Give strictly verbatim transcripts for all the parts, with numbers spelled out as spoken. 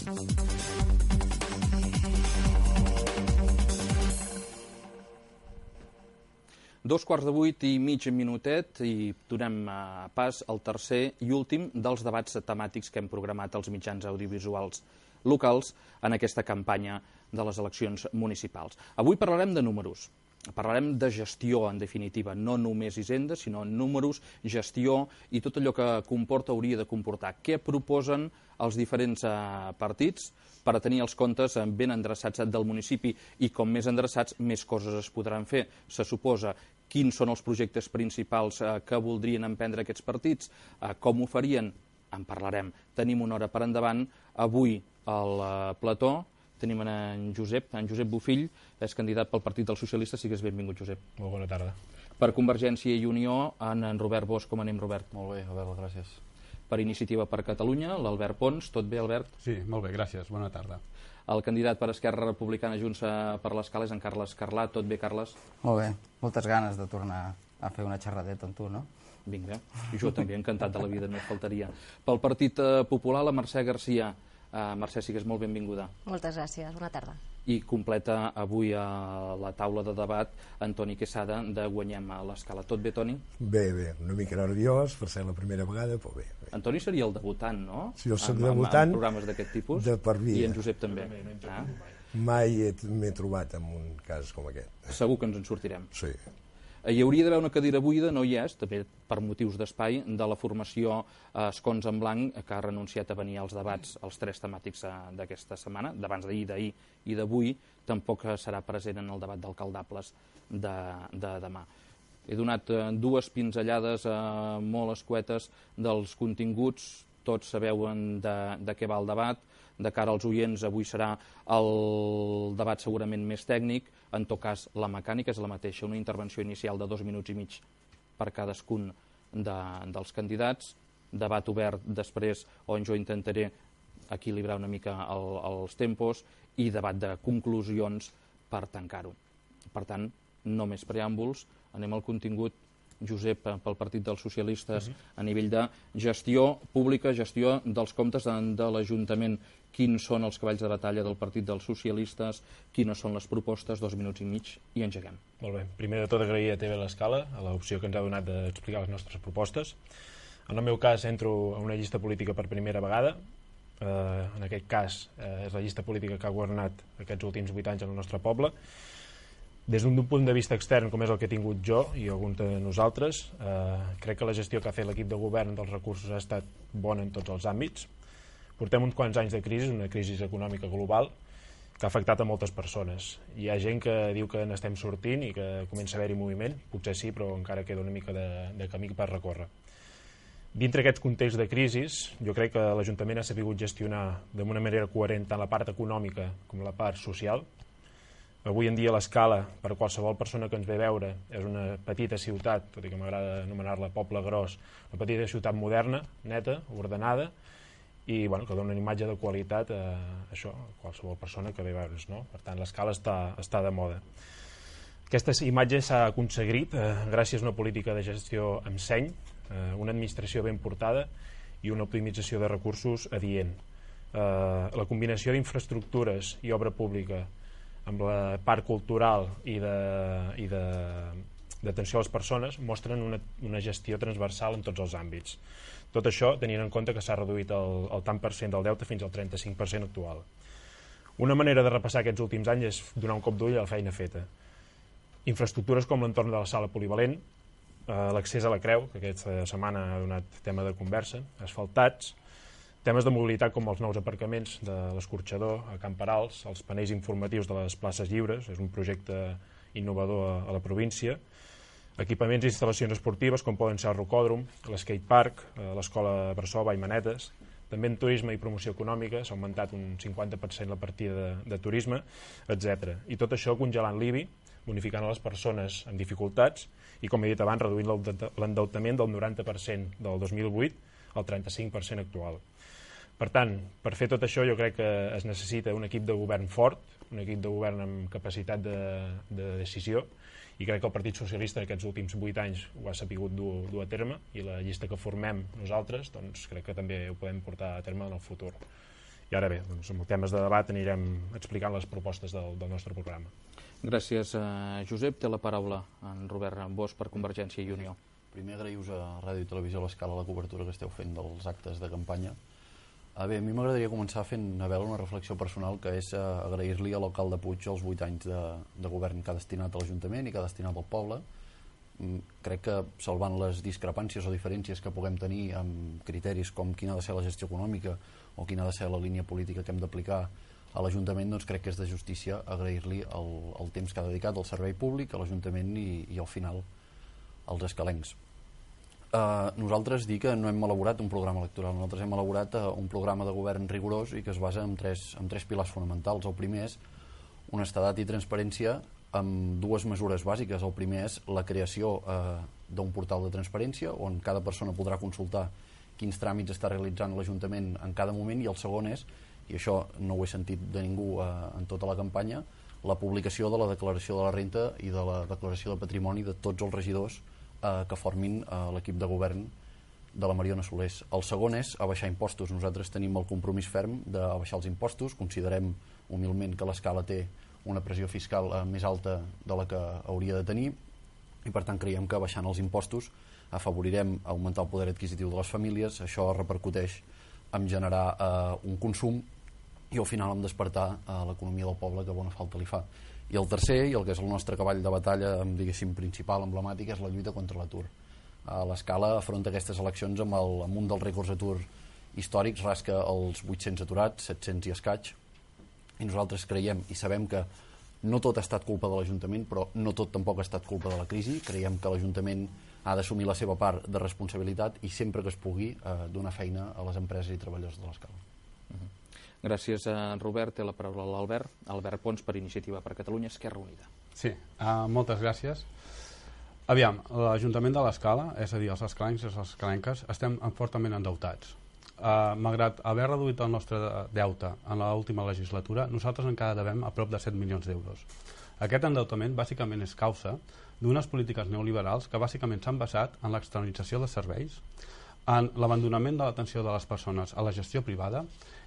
Dos quarts de vuit i mig minutet i donem pas al tercer i últim dels debats temàtics que hem programat als mitjans audiovisuals locals en aquesta campanya de les eleccions municipals. Avui parlarem de números, parlarem de gestió, en definitiva, no només Hisenda, sinó números, gestió i tot allò que comporta hauria de comportar. Què proposen els diferents partits per a tenir els comptes ben endreçats del municipi i com més endreçats, més coses es podran fer. Se suposa quins són els projectes principals que voldrien emprendre aquests partits, com ho farien, en parlarem. Tenim una hora per endavant. Avui al plató tenim en Josep, en Josep Bofill, és candidat pel Partit dels Socialistes. Sigues benvingut, Josep. Molt bona tarda. Per Convergència i Unió, en Robert Bosch. Com anem, Robert? Molt bé, Albert, gràcies. Per Iniciativa per Catalunya, l'Albert Pons. Tot bé, Albert? Sí, molt bé, gràcies. Bona tarda. El candidat per Esquerra Republicana Junts per l'Escala és en Carles Carlà. Tot bé, Carles? Molt bé. Moltes ganes de tornar a fer una xerradeta amb tu, no? Vinga. Jo també, encantat de la vida, només faltaria. Pel Partit Popular, la Mercè Garcia. Uh, Mercè, sigues molt benvinguda. Moltes gràcies. Bona tarda. I completa avui a la taula de debat Antoni Quesada de Guanyem a l'Escala. Tot bé, Toni? Bé, bé. Una mica nerviós per ser la primera vegada, però bé. bé. Antoni seria el debutant, no? Sí, jo soc en, debutant. En programes d'aquest tipus. De per vida. I en Josep també. Ah. Mai m'he trobat en un cas com aquest. Segur que ens en sortirem. Sí. Hi hauria d'haver una cadira buida, no hi és, també per motius d'espai, de la formació Escons en Blanc, que ha renunciat a venir als debats, els tres temàtics d'aquesta setmana, d'abans d'ahir, d'ahir i d'avui, tampoc serà present en el debat d'alcaldables de, de demà. He donat dues pinzellades eh, molt escuetes dels continguts, tots sabeu de, de què va el debat. De cara als oients, avui serà el debat segurament més tècnic, en tot cas la mecànica és la mateixa, una intervenció inicial de dos minuts i mig per cadascun de, dels candidats, debat obert després on jo intentaré equilibrar una mica el, els tempos i debat de conclusions per tancar-ho. Per tant, no més preàmbuls, anem al contingut. Josep, pel Partit dels Socialistes, a nivell de gestió pública, gestió dels comptes de, de l'Ajuntament. Quins són els cavalls de batalla del Partit dels Socialistes, quines són les propostes, dos minuts i mig, i engeguem. Molt bé. Primer de tot, agrair a T V l'Escala a l'opció que ens ha donat d'explicar les nostres propostes. En el meu cas, entro a una llista política per primera vegada. Eh, en aquest cas, eh, és la llista política que ha governat aquests últims vuit anys en el nostre poble. Des d'un punt de vista extern, com és el que he tingut jo i alguns de nosaltres, eh, crec que la gestió que ha fet l'equip de govern dels recursos ha estat bona en tots els àmbits. Portem uns quants anys de crisi, una crisi econòmica global, que ha afectat a moltes persones. Hi ha gent que diu que n'estem sortint i que comença a haver-hi moviment, potser sí, però encara queda una mica de, de camí per recórrer. Dintre aquests contexts de crisi, jo crec que l'Ajuntament ha sabut gestionar d'una manera coherent tant la part econòmica com la part social. Avui en dia l'Escala, per qualsevol persona que ens ve a veure, és una petita ciutat, tot i que m'agrada anomenar-la poble gros, una petita ciutat moderna, neta, ordenada, i bueno, que dona una imatge de qualitat a això, a qualsevol persona que ve a veure's, no? Per tant, l'Escala està, està de moda. Aquesta imatge s'ha aconseguit eh, gràcies a una política de gestió amb seny, eh, una administració ben portada i una optimització de recursos adient. Eh, la combinació d'infraestructures i obra pública amb la part cultural i d'atenció a les persones mostren una, una gestió transversal en tots els àmbits. Tot això tenint en compte que s'ha reduït el, el tant per cent del deute fins al trenta-cinc per cent actual. Una manera de repassar aquests últims anys és donar un cop d'ull a la feina feta. Infraestructures com l'entorn de la sala polivalent, eh, l'accés a la Creu, que aquesta setmana ha donat tema de conversa, asfaltats, temes de mobilitat com els nous aparcaments de l'Escorxador a Camp Perals, els panells informatius de les places lliures, és un projecte innovador a, a la província, equipaments i instal·lacions esportives com poden ser el rocòdrom, l'escatepark, l'escola Bressó, Vallmanetes, també en turisme i promoció econòmica s'ha augmentat un cinquanta per cent la partida de, de turisme, etcètera. I tot això congelant l'I B I, bonificant a les persones amb dificultats i, com he dit abans, reduint l'endeutament del noranta per cent del dos mil vuit al trenta-cinc per cent actual. Per tant, per fer tot això jo crec que es necessita un equip de govern fort, un equip de govern amb capacitat de, de decisió, i crec que el Partit Socialista aquests últims vuit anys ho ha sapigut dur, dur a terme, i la llista que formem nosaltres doncs crec que també ho podem portar a terme en el futur. I ara bé, doncs, amb temes de debat anirem explicant les propostes del, del nostre programa. Gràcies, eh, Josep. Té la paraula en Robert Bosch per Convergència i Unió. Primer agraïus a Ràdio i Televisió a l'Escala la cobertura que esteu fent dels actes de campanya. A bé, a mi m'agradaria començar fent a veure una reflexió personal, que és agrair-li a l'alcalde Puig els vuit anys de, de govern que ha destinat a l'Ajuntament i que ha destinat al poble. Crec que, salvant les discrepàncies o diferències que puguem tenir amb criteris com quina ha de ser la gestió econòmica o quina ha de ser la línia política que hem d'aplicar a l'Ajuntament, doncs crec que és de justícia agrair-li el, el temps que ha dedicat al servei públic, a l'Ajuntament i, i al final als escalencs. Uh, nosaltres dir que no hem elaborat un programa electoral, nosaltres hem elaborat uh, un programa de govern rigorós i que es basa en tres, en tres pilars fonamentals. El primer és honestedat i transparència amb dues mesures bàsiques. El primer és la creació uh, d'un portal de transparència on cada persona podrà consultar quins tràmits està realitzant l'Ajuntament en cada moment, i el segon és, i això no ho he sentit de ningú uh, en tota la campanya, la publicació de la declaració de la renta i de la declaració de patrimoni de tots els regidors que formin l'equip de govern de la Mariona Solés. El segon és abaixar impostos. Nosaltres tenim el compromís ferm d'abaixar els impostos. Considerem humilment que l'Escala té una pressió fiscal més alta de la que hauria de tenir i per tant creiem que abaixant els impostos afavorirem augmentar el poder adquisitiu de les famílies. Això repercuteix en generar eh, un consum i al final en despertar eh, l'economia del poble, que bona falta li fa. I el tercer, i el que és el nostre cavall de batalla, diguéssim, principal, emblemàtic, és la lluita contra l'atur. L'Escala afronta aquestes eleccions amb, el, amb un dels rècords d'atur històrics, rasca els vuit-cents aturats, set-cents i escaig, i nosaltres creiem i sabem que no tot ha estat culpa de l'Ajuntament, però no tot tampoc ha estat culpa de la crisi. Creiem que l'Ajuntament ha d'assumir la seva part de responsabilitat i sempre que es pugui eh, donar feina a les empreses i treballadors de l'Escala. Uh-huh. Gràcies, Robert. Té la paraula l'Albert. Albert Pons, per Iniciativa per Catalunya, Esquerra Unida. Sí, uh, moltes gràcies. Aviam, l'Ajuntament de l'Escala, és a dir, els escalencs i les escalenques, estem fortament endeutats. Uh, malgrat haver reduït el nostre deute en l'última legislatura, nosaltres encara devem a prop de set milions d'euros. Aquest endeutament bàsicament és causa d'unes polítiques neoliberals que bàsicament s'han basat en l'externalització de serveis, en l'abandonament de l'atenció de les persones a la gestió privada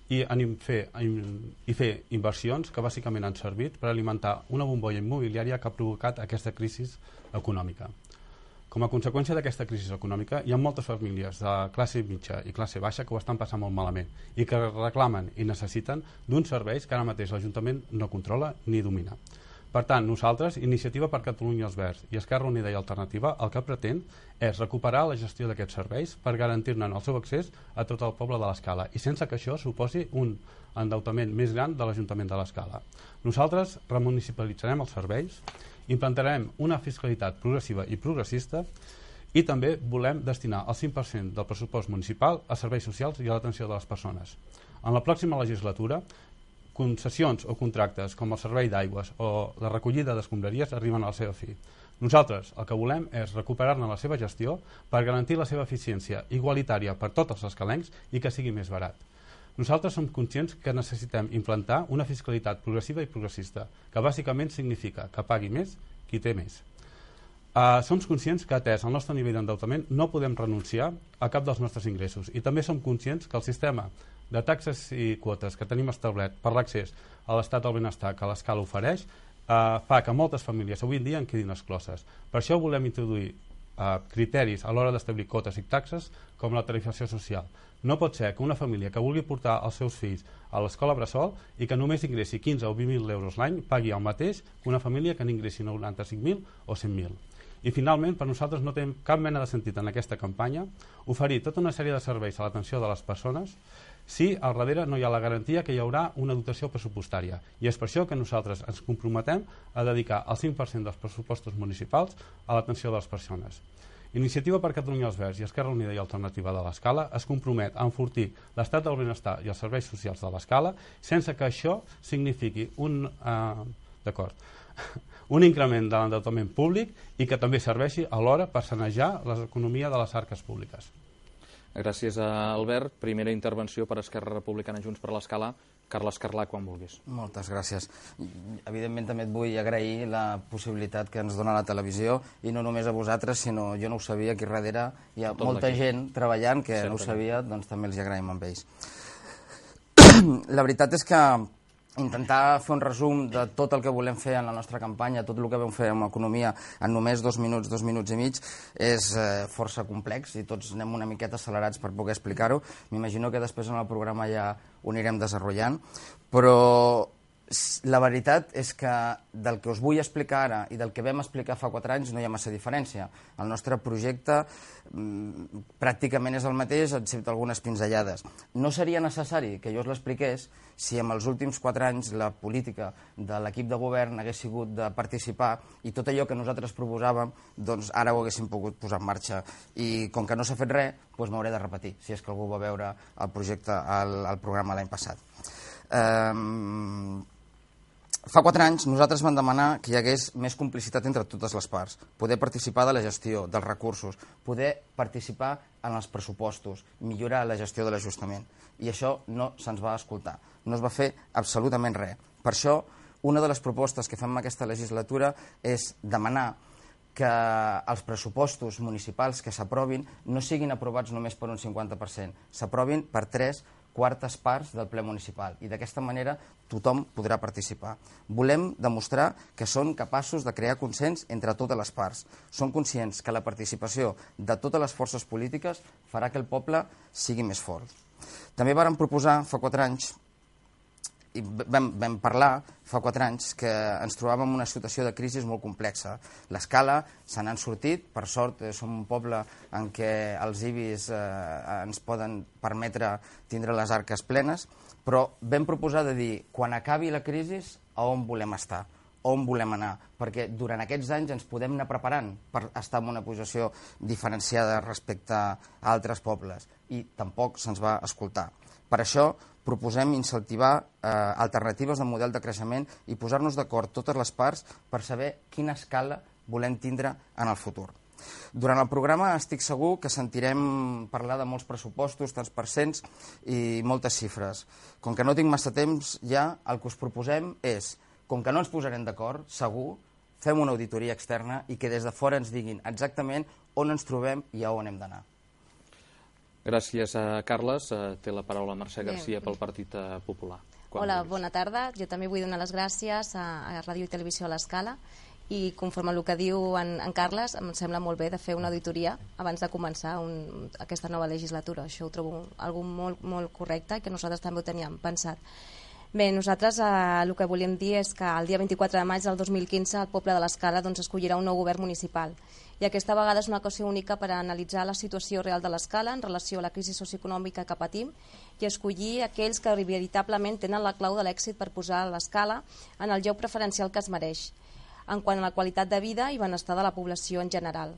i en fer, i fer inversions que bàsicament han servit per alimentar una bombolla immobiliària que ha provocat aquesta crisi econòmica. Com a conseqüència d'aquesta crisi econòmica, hi ha moltes famílies de classe mitja i classe baixa que ho estan passant molt malament i que reclamen i necessiten d'uns serveis que ara mateix l'Ajuntament no controla ni domina. Per tant, nosaltres, Iniciativa per Catalunya els Verds i Esquerra Unida i Alternativa, el que pretén és recuperar la gestió d'aquests serveis per garantir-ne el seu accés a tot el poble de l'Escala i sense que això suposi un endeutament més gran de l'Ajuntament de l'Escala. Nosaltres remunicipalitzarem els serveis, implantarem una fiscalitat progressiva i progressista i també volem destinar el cinc per cent del pressupost municipal a serveis socials i a l'atenció de les persones. En la pròxima legislatura, concessions o contractes com el servei d'aigües o la recollida d'escombraries arriben a la seva fi. Nosaltres el que volem és recuperar-ne la seva gestió per garantir la seva eficiència igualitària per tots els escalencs i que sigui més barat. Nosaltres som conscients que necessitem implantar una fiscalitat progressiva i progressista, que bàsicament significa que pagui més qui té més. Uh, som conscients que, atès el nostre nivell d'endeutament, no podem renunciar a cap dels nostres ingressos i també som conscients que el sistema de taxes i quotes que tenim establert per l'accés a l'estat del benestar que l'Escala ofereix eh, fa que moltes famílies avui en dia en quedin excloses. Per això volem introduir eh, criteris a l'hora d'establir quotes i taxes com la tarifació social. No pot ser que una família que vulgui portar els seus fills a l'escola bressol i que només ingressi quinze o vint mil euros l'any pagui el mateix que una família que n'ingressi noranta-cinc mil o cent mil. I finalment, per nosaltres no té cap mena de sentit en aquesta campanya oferir tota una sèrie de serveis a l'atenció de les persones si al darrere no hi ha la garantia que hi haurà una dotació pressupostària. I és per això que nosaltres ens comprometem a dedicar el cinc per cent dels pressupostos municipals a l'atenció de les persones. Iniciativa per Catalunya els Verds i Esquerra Unida i Alternativa de l'Escala es compromet a enfortir l'estat del benestar i els serveis socials de l'Escala sense que això signifiqui un, eh, d'acord, un increment de l'endeutament públic i que també serveixi alhora per sanejar l'economia de les arques públiques. Gràcies a Albert. Primera intervenció per Esquerra Republicana Junts per l'Escala. Carles Carlà, quan vulguis. Moltes gràcies. Evidentment també et vull agrair la possibilitat que ens dona la televisió i no només a vosaltres, sinó jo no ho sabia, aquí darrere hi ha molta gent treballant que no ho sabia, doncs també els agraïm amb ells. la veritat és que intentar fer un resum de tot el que volem fer en la nostra campanya, tot el que vam fer amb economia en només dos minuts, dos minuts i mig, és eh, força complex i tots anem una miqueta accelerats per poder explicar-ho. M'imagino que després en el programa ja ho anirem desenvolupant, però la veritat és que del que us vull explicar ara i del que vam explicar fa quatre anys no hi ha massa diferència. El nostre projecte mmm, pràcticament és el mateix, excepte algunes pinzellades. No seria necessari que jo us l'expliqués si en els últims quatre anys la política de l'equip de govern hagués sigut de participar i tot allò que nosaltres proposàvem, doncs ara ho haguéssim pogut posar en marxa. I com que no s'ha fet res, doncs m'hauré de repetir, si és que algú va veure el projecte, el, el programa l'any passat. Um, Fa quatre anys nosaltres vam demanar que hi hagués més complicitat entre totes les parts, poder participar de la gestió, dels recursos, poder participar en els pressupostos, millorar la gestió de l'ajustament. I això no se'ns va escoltar, no es va fer absolutament res. Per això, una de les propostes que fem en aquesta legislatura és demanar que els pressupostos municipals que s'aprovin no siguin aprovats només per un cinquanta per cent, s'aprovin per tres quartes parts del ple municipal i d'aquesta manera tothom podrà participar. Volem demostrar que són capaços de crear consens entre totes les parts. Som conscients que la participació de totes les forces polítiques farà que el poble sigui més fort. També vàrem proposar fa quatre anys i vam, vam parlar fa quatre anys que ens trobàvem en una situació de crisi molt complexa. L'escala se n'han sortit, per sort eh, som un poble en què els I B Is eh, ens poden permetre tindre les arques plenes, però vam proposar de dir, quan acabi la crisi, a on volem estar, on volem anar, perquè durant aquests anys ens podem anar preparant per estar en una posició diferenciada respecte a altres pobles, i tampoc se'ns va escoltar. Per això proposem incentivar eh, alternatives de model de creixement i posar-nos d'acord totes les parts per saber quina escala volem tindre en el futur. Durant el programa estic segur que sentirem parlar de molts pressupostos, tants percents i moltes xifres. Com que no tinc massa temps ja, el que us proposem és, com que no ens posarem d'acord, segur, fem una auditoria externa i que des de fora ens diguin exactament on ens trobem i a on hem d'anar. Gràcies a Carles. Té la paraula Mercè Garcia pel Partit Popular. Quan Hola, vulguis. Bona tarda. Jo també vull donar les gràcies a, a Ràdio i Televisió a l'Escala i conforme al que diu en, en Carles, em sembla molt bé de fer una auditoria abans de començar un, aquesta nova legislatura. Això ho trobo algo molt, molt correcte i que nosaltres també ho teníem pensat. Bé, nosaltres eh, el que volíem dir és que el dia vint-i-quatre de maig del dos mil quinze el poble de l'Escala doncs, escollirà un nou govern municipal i aquesta vegada és una ocasió única per a analitzar la situació real de l'Escala en relació a la crisi socioeconòmica que patim i escollir aquells que veritablement tenen la clau de l'èxit per posar l'Escala en el lloc preferencial que es mereix en quant a la qualitat de vida i benestar de la població en general.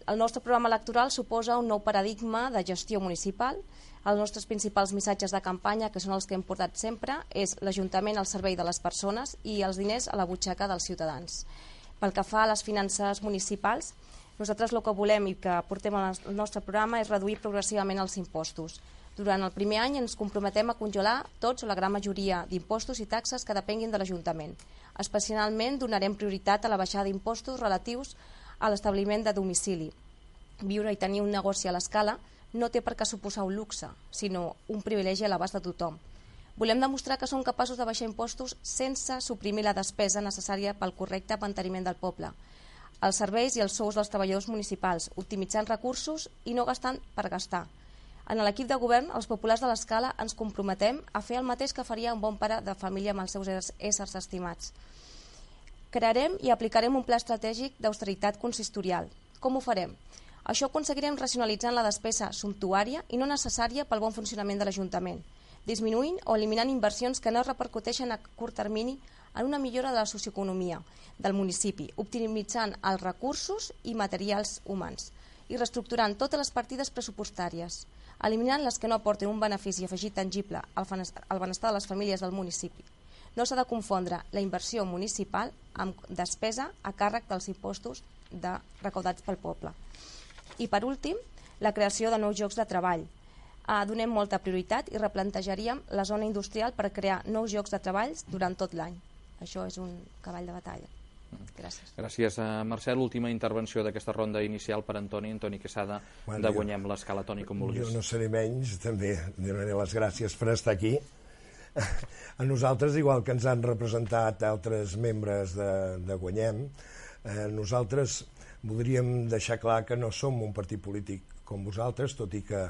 El nostre programa electoral suposa un nou paradigma de gestió municipal. Els nostres principals missatges de campanya, que són els que hem portat sempre, és l'Ajuntament al servei de les persones i els diners a la butxaca dels ciutadans. Pel que fa a les finances municipals, nosaltres el que volem i que portem al nostre programa és reduir progressivament els impostos. Durant el primer any ens comprometem a congelar tots o la gran majoria d'impostos i taxes que depenguin de l'Ajuntament. Especialment donarem prioritat a la baixada d'impostos relatius a l'establiment de domicili. Viure i tenir un negoci a l'Escala no té per què suposar un luxe, sinó un privilegi a l'abast de tothom. Volem demostrar que som capaços de baixar impostos sense suprimir la despesa necessària pel correcte manteniment del poble, els serveis i els sous dels treballadors municipals, optimitzant recursos i no gastant per gastar. En l'equip de govern, els populars de l'Escala ens comprometem a fer el mateix que faria un bon pare de família amb els seus éssers estimats. Crearem i aplicarem un pla estratègic d'austeritat consistorial. Com ho farem? Això ho aconseguirem racionalitzant la despesa sumptuària i no necessària pel bon funcionament de l'Ajuntament, disminuint o eliminant inversions que no repercuteixen a curt termini en una millora de la socioeconomia del municipi, optimitzant els recursos i materials humans i reestructurant totes les partides pressupostàries, eliminant les que no aporten un benefici afegit tangible al benestar de les famílies del municipi. No s'ha de confondre la inversió municipal amb despesa a càrrec dels impostos de recaudats pel poble. I per últim, la creació de nous llocs de treball. Eh, donem molta prioritat i replantejaríem la zona industrial per crear nous llocs de treball durant tot l'any. Això és un cavall de batalla. Gràcies. Gràcies a Mercè. L'última intervenció d'aquesta ronda inicial per Antoni. Antoni Quesada, bueno, de Guanyem l'Escala. Toni, com vulguis. Jo no seré menys, també donaré les gràcies per estar aquí. a nosaltres, igual que ens han representat altres membres de, de Guanyem, eh, nosaltres voldríem deixar clar que no som un partit polític com vosaltres, tot i que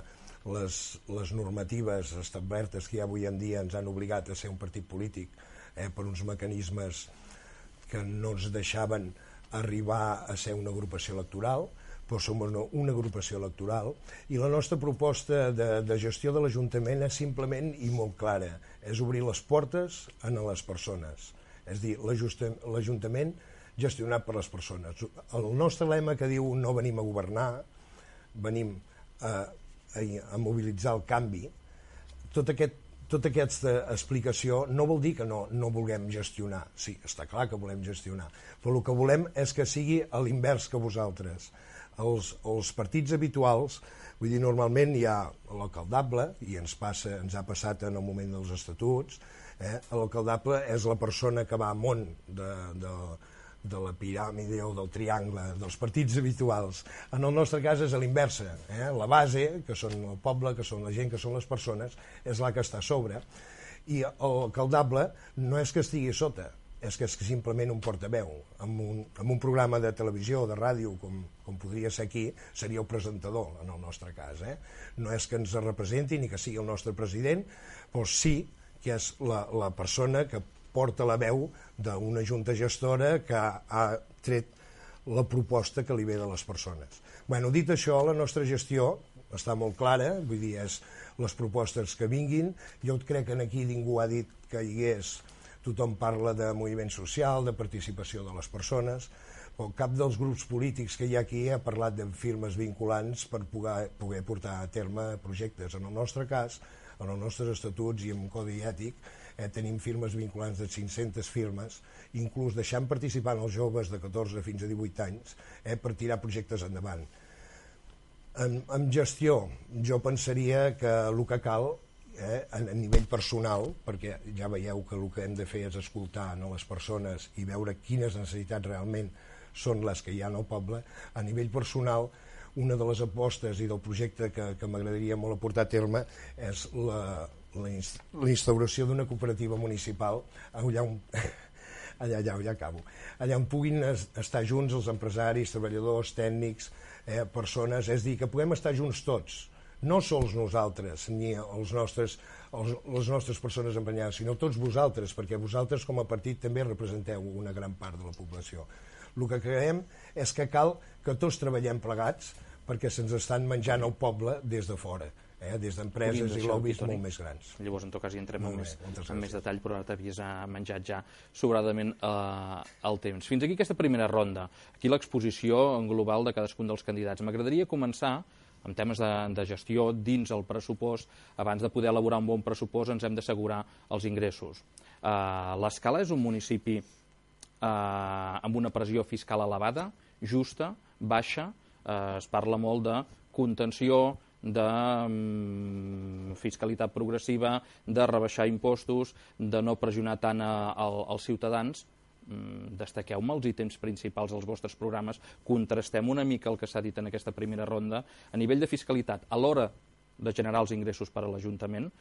les, les normatives establertes que hi ha avui en dia ens han obligat a ser un partit polític eh, per uns mecanismes que no ens deixaven arribar a ser una agrupació electoral, però som una, una agrupació electoral, i la nostra proposta de, de gestió de l'Ajuntament és simplement i molt clara, és obrir les portes a les persones, és dir, l'Ajuntament gestionat per les persones. El nostre lema que diu no venim a governar, venim a, a, a mobilitzar el canvi, tot aquest tota aquesta explicació no vol dir que no, no vulguem gestionar. Sí, està clar que volem gestionar, però el que volem és que sigui a l'invers que vosaltres. Els, els partits habituals, vull dir, normalment hi ha l'alcaldable, i ens, passa, ens ha passat en el moment dels estatuts, eh? L'alcaldable és la persona que va amunt de, de, de la piràmide o del triangle dels partits habituals. En el nostre cas és a l'inversa, eh? La base, que són el poble, que són la gent, que són les persones, és la que està a sobre, i l'alcaldable no és que estigui sota, és que és simplement un portaveu. En un, en un programa de televisió o de ràdio, com, com podria ser aquí, seria el presentador, en el nostre cas. Eh? No és que ens representi ni que sigui el nostre president, però sí que és la, la persona que porta la veu d'una junta gestora que ha tret la proposta que li ve de les persones. Bueno, dit això, la nostra gestió està molt clara, vull dir, és les propostes que vinguin. Jo crec que aquí ningú ha dit que hi hagués, tothom parla de moviment social, de participació de les persones, però cap dels grups polítics que hi ha aquí ha parlat de firmes vinculants per poder, poder portar a terme projectes. En el nostre cas, en els nostres estatuts i en un codi ètic, eh, tenim firmes vinculants de cinc-centes firmes, inclús deixant participar els joves de catorze fins a divuit anys eh, per tirar projectes endavant. En, en gestió, jo pensaria que el que cal, eh, a, a nivell personal, perquè ja veieu que el que hem de fer és escoltar no, les persones i veure quines necessitats realment són les que hi ha al poble, a nivell personal, una de les apostes i del projecte que, que m'agradaria molt aportar a terme és la, la, la instauració d'una cooperativa municipal allà on, allà, allà, allà acabo, allà on puguin estar junts els empresaris, treballadors, tècnics, eh, persones, és dir, que puguem estar junts tots, no sols nosaltres ni els nostres, els, les nostres persones emprenyades, sinó tots vosaltres, perquè vosaltres com a partit també representeu una gran part de la població. El que creiem és que cal que tots treballem plegats perquè se'ns estan menjant el poble des de fora, eh? Des d'empreses i lobbies molt més grans. Llavors, en tot cas, hi entrem amb més, amb més detall, però ara t'havies menjat ja sobradament eh, el temps. Fins aquí aquesta primera ronda. Aquí l'exposició en global de cadascun dels candidats. M'agradaria començar amb temes de, de gestió dins el pressupost. Abans de poder elaborar un bon pressupost ens hem d'assegurar els ingressos. Eh, L'Escala és un municipi eh, amb una pressió fiscal elevada, justa, baixa, eh, es parla molt de contenció, de um, fiscalitat progressiva, de rebaixar impostos, de no pressionar tant a, a, als ciutadans. Mm, destaqueu-me els ítems principals dels vostres programes, contrastem una mica el que s'ha dit en aquesta primera ronda. A nivell de fiscalitat, a l'hora de generar els ingressos per a l'Ajuntament,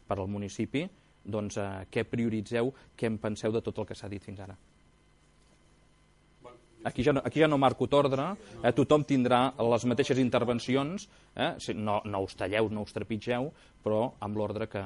per al municipi, doncs eh, què prioritzeu, què en penseu de tot el que s'ha dit fins ara? Aquí ja no, aquí ja no marco t'ordre, eh, tothom tindrà les mateixes intervencions, eh, no, no us talleu, no us trepitgeu, però amb l'ordre que,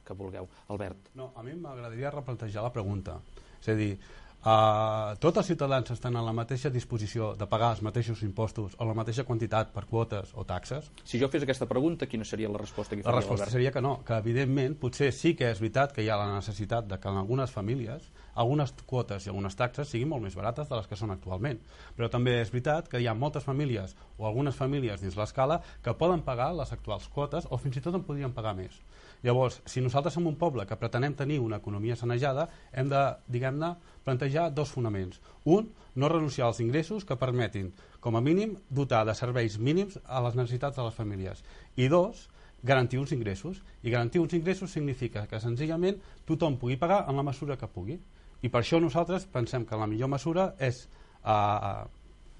que vulgueu. Albert. No, a mi m'agradaria replantejar la pregunta. És a dir, Uh, tots els ciutadans estan en la mateixa disposició de pagar els mateixos impostos o la mateixa quantitat per quotes o taxes? Si jo fes aquesta pregunta, quina seria la resposta que faria l'Albert? La resposta seria que no, que evidentment potser sí que és veritat que hi ha la necessitat de que en algunes famílies algunes quotes i algunes taxes siguin molt més barates de les que són actualment, però també és veritat que hi ha moltes famílies o algunes famílies dins l'Escala que poden pagar les actuals quotes o fins i tot en podrien pagar més. Llavors, si nosaltres som un poble que pretenem tenir una economia sanejada, hem de, diguem-ne, plantejar dos fonaments. Un, no renunciar als ingressos que permetin, com a mínim, dotar de serveis mínims a les necessitats de les famílies. I dos, garantir uns ingressos. I garantir uns ingressos significa que, senzillament, tothom pugui pagar en la mesura que pugui. I per això nosaltres pensem que la millor mesura és eh,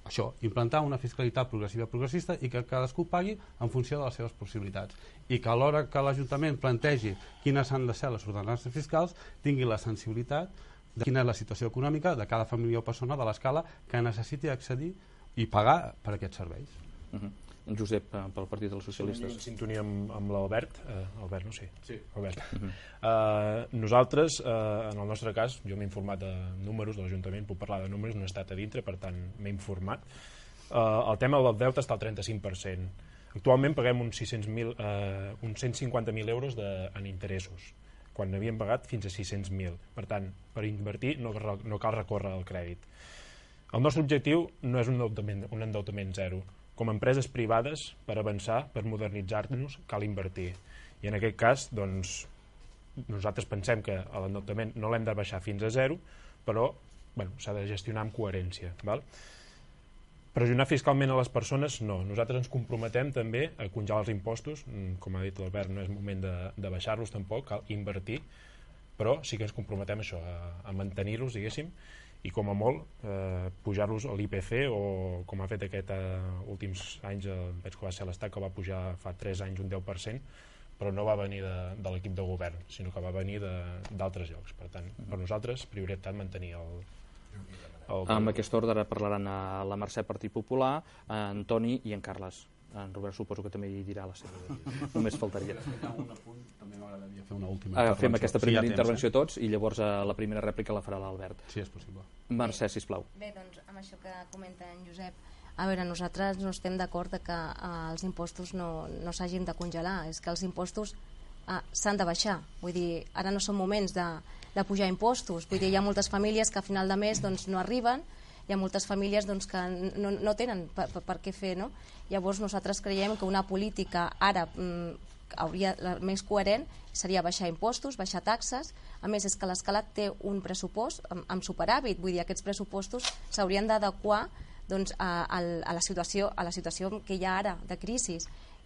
això, implantar una fiscalitat progressiva progressista i que cadascú pagui en funció de les seves possibilitats i que a l'hora que l'Ajuntament plantegi quines han de ser les ordenances fiscals tingui la sensibilitat de quina és la situació econòmica de cada família o persona de l'escala que necessiti accedir i pagar per aquests serveis. Uh-huh. En Josep, pel Partit dels Socialistes. En sintonia amb, amb l'Albert, eh, Albert, no sé. Sí. Albert. Uh-huh. eh, nosaltres, eh, en el nostre cas, jo m'he informat de números de l'Ajuntament, puc parlar de números, no he estat a dintre, per tant m'he informat. Eh, el tema del deute està al trenta-cinc per cent. Actualment paguem uns, sis cents mil, eh, uns cent cinquanta mil euros de, en interessos, quan n'havíem pagat fins a sis cents mil. Per tant, per invertir no, no cal recórrer al crèdit. El nostre objectiu no és un endeutament, un endeutament zero. Com a empreses privades, per avançar, per modernitzar-nos, cal invertir. I en aquest cas, doncs, nosaltres pensem que l'endeutament no l'hem de baixar fins a zero, però bueno, s'ha de gestionar amb coherència. Val? Pressionar fiscalment a les persones, no. Nosaltres ens comprometem també a congelar els impostos. Com ha dit l'Albert, no és moment de, de baixar-los tampoc, cal invertir, però sí que ens comprometem a això, a, a mantenir-los, diguéssim, i com a molt eh, pujar-los a l'I P C o com ha fet aquest eh, últims anys, eh, veig que va ser l'Estat que va pujar fa tres anys un deu per cent, però no va venir de, de l'equip de govern, sinó que va venir d'altres llocs. Per tant, per nosaltres, prioritat mantenir el... el... Amb aquest ordre parlaran a la Mercè, Partit Popular, a Antoni i en Carles. En Robert suposo que també hi dirà la seva. Només faltaria. També m'agradaria fer una última intervenció. Fem aquesta primera sí, ja intervenció temps, eh? tots i llavors la primera rèplica la farà l'Albert. Sí, és possible. Mercè, sisplau. Bé, doncs amb això que comenta en Josep, a veure, nosaltres no estem d'acord que eh, els impostos no, no s'hagin de congelar, és que els impostos eh, s'han de baixar, vull dir, ara no són moments de, de pujar impostos, vull dir, hi ha moltes famílies que a final de mes doncs, no arriben, hi ha moltes famílies doncs, que no, no tenen per, per, per què fer, no? Llavors nosaltres creiem que una política ara mm, hauria, la més coherent seria baixar impostos, baixar taxes. A més, és que l'Escala té un pressupost amb, amb superàvit, vull dir, aquests pressupostos s'haurien d'adequar doncs, a, a, a, la situació, a la situació que hi ha ara de crisi,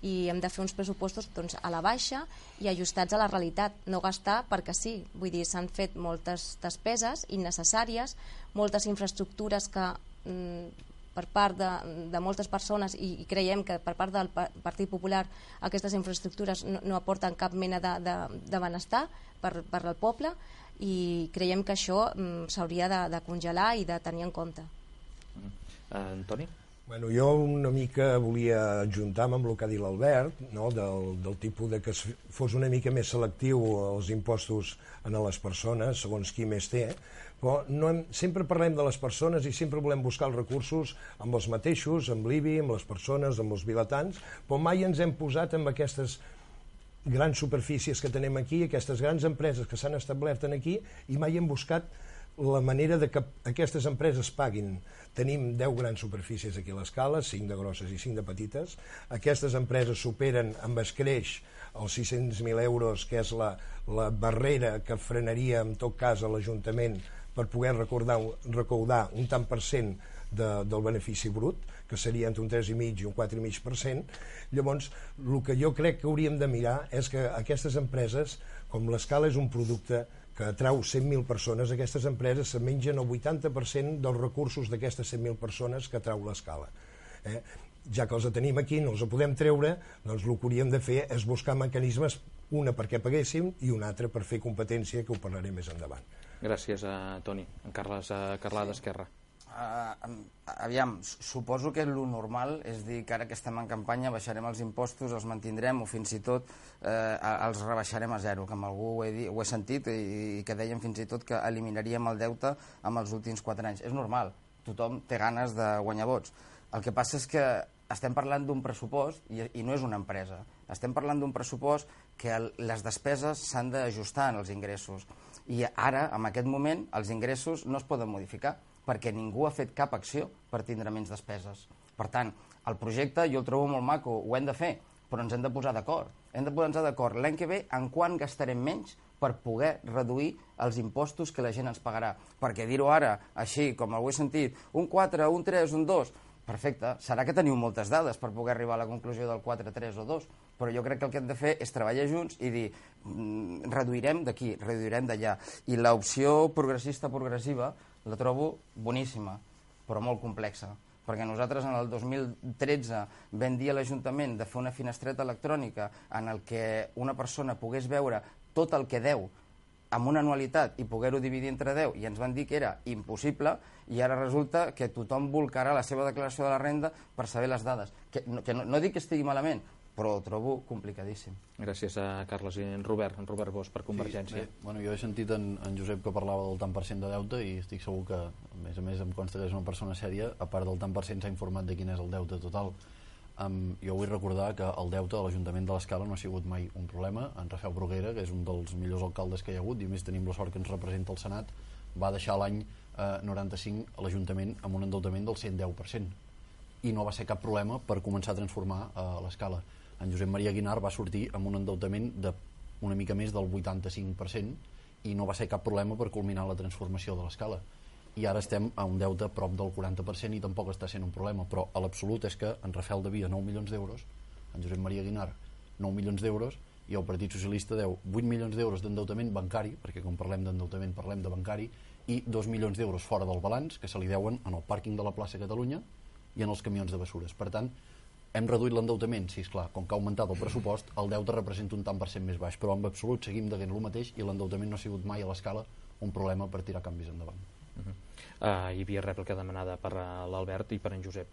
i hem de fer uns pressupostos doncs, a la baixa i ajustats a la realitat, no gastar perquè sí, vull dir, s'han fet moltes despeses innecessàries, moltes infraestructures que mm, per part de, de moltes persones i, i creiem que per part del Partit Popular aquestes infraestructures no, no aporten cap mena de, de, de benestar per, per al poble i creiem que això mm, s'hauria de, de congelar i de tenir en compte. Uh, Antoni? Bueno, jo una mica volia ajuntar-me amb el que ha dit l'Albert, no? del, del tipus de que fos una mica més selectiu els impostos a les persones, segons qui més té, però no hem, sempre parlem de les persones i sempre volem buscar els recursos amb els mateixos, amb l'I B I, amb les persones, amb els vilatans, però mai ens hem posat amb aquestes grans superfícies que tenim aquí, aquestes grans empreses que s'han establert aquí, i mai hem buscat la manera de que aquestes empreses paguin. Tenim deu grans superfícies aquí a l'Escala, cinc de grosses i cinc de petites. Aquestes empreses superen amb escreix els sis-cents mil euros, que és la, la barrera que frenaria en tot cas a l'Ajuntament per poder recordar, recaudar un tant per cent de, del benefici brut, que seria entre un tres coma cinc i un quatre coma cinc per cent. Llavors, el que jo crec que hauríem de mirar és que aquestes empreses, com l'Escala és un producte que atrau cent mil persones, aquestes empreses se mengen el vuitanta per cent dels recursos d'aquestes cent mil persones que atrau l'Escala. Eh? Ja que els tenim aquí, no els podem treure, doncs el que hauríem de fer és buscar mecanismes, una perquè paguéssim i una altra per fer competència, que ho parlaré més endavant. Gràcies a Toni. En Carles uh, Carlà d'Esquerra. Uh, aviam, suposo que el normal és dir que ara que estem en campanya baixarem els impostos, els mantindrem o fins i tot eh, els rebaixarem a zero, que amb algú ho he, dit, ho he sentit i, i que dèiem fins i tot que eliminaríem el deute amb els últims quatre anys. És normal, tothom té ganes de guanyar vots. El que passa és que estem parlant d'un pressupost i, i no és una empresa. Estem parlant d'un pressupost que el, les despeses s'han d'ajustar en els ingressos. I ara, en aquest moment, els ingressos no es poden modificar perquè ningú ha fet cap acció per tindre menys despeses. Per tant, el projecte jo el trobo molt maco, ho hem de fer, però ens hem de posar d'acord. Hem de posar d'acord l'any que ve en quan gastarem menys per poder reduir els impostos que la gent ens pagarà. Perquè dir-ho ara, així, com ho he sentit, un quatre, un tres, un dos, perfecte, serà que teniu moltes dades per poder arribar a la conclusió del quatre, tres o dos, però jo crec que el que hem de fer és treballar junts i dir mm, reduirem d'aquí, reduirem d'allà. I l'opció progressista progressiva la trobo boníssima, però molt complexa, perquè nosaltres en el dos mil tretze vam dir a l'Ajuntament de fer una finestreta electrònica en el que una persona pogués veure tot el que deu amb una anualitat i poder-ho dividir entre deu, i ens van dir que era impossible, i ara resulta que tothom volcarà la seva declaració de la renda per saber les dades. Que, no, que no, no dic que estigui malament, però ho trobo complicadíssim. Gràcies a Carles i en Robert, en Robert Bosch, per Convergència. Sí, bueno, jo he sentit en, en Josep que parlava del tant per cent de deute i estic segur que, a més a més, em consta que és una persona sèria, a part del tant per cent s'ha informat de quin és el deute total. Um, jo vull recordar que el deute de l'Ajuntament de l'Escala no ha sigut mai un problema. En Rafael Bruguera, que és un dels millors alcaldes que hi ha hagut, i a més tenim la sort que ens representa el Senat, va deixar l'any eh, noranta-cinc a l'Ajuntament amb un endeutament del cent deu per cent. I no va ser cap problema per començar a transformar eh, l'Escala. En Josep Maria Guinart va sortir amb un endeutament de una mica més del vuitanta-cinc per cent i no va ser cap problema per culminar la transformació de l'Escala. I ara estem a un deute prop del quaranta per cent i tampoc està sent un problema, però a l'absolut és que en Rafael devia nou milions d'euros, en Josep Maria Guinart nou milions d'euros i el Partit Socialista deu vuit milions d'euros d'endeutament bancari, perquè quan parlem d'endeutament parlem de bancari, i dos milions d'euros fora del balanç que se li deuen en el pàrquing de la plaça Catalunya i en els camions de bessures. Per tant, hem reduït l'endeutament, sí, esclar, com que ha augmentat el pressupost, el deute representa un tant per cent més baix, però en absolut seguim deguent el mateix i l'endeutament no ha sigut mai a l'Escala un problema per tirar canvis endavant. Uh -huh. uh, hi havia rèplica demanada per uh, l'Albert i per en Josep.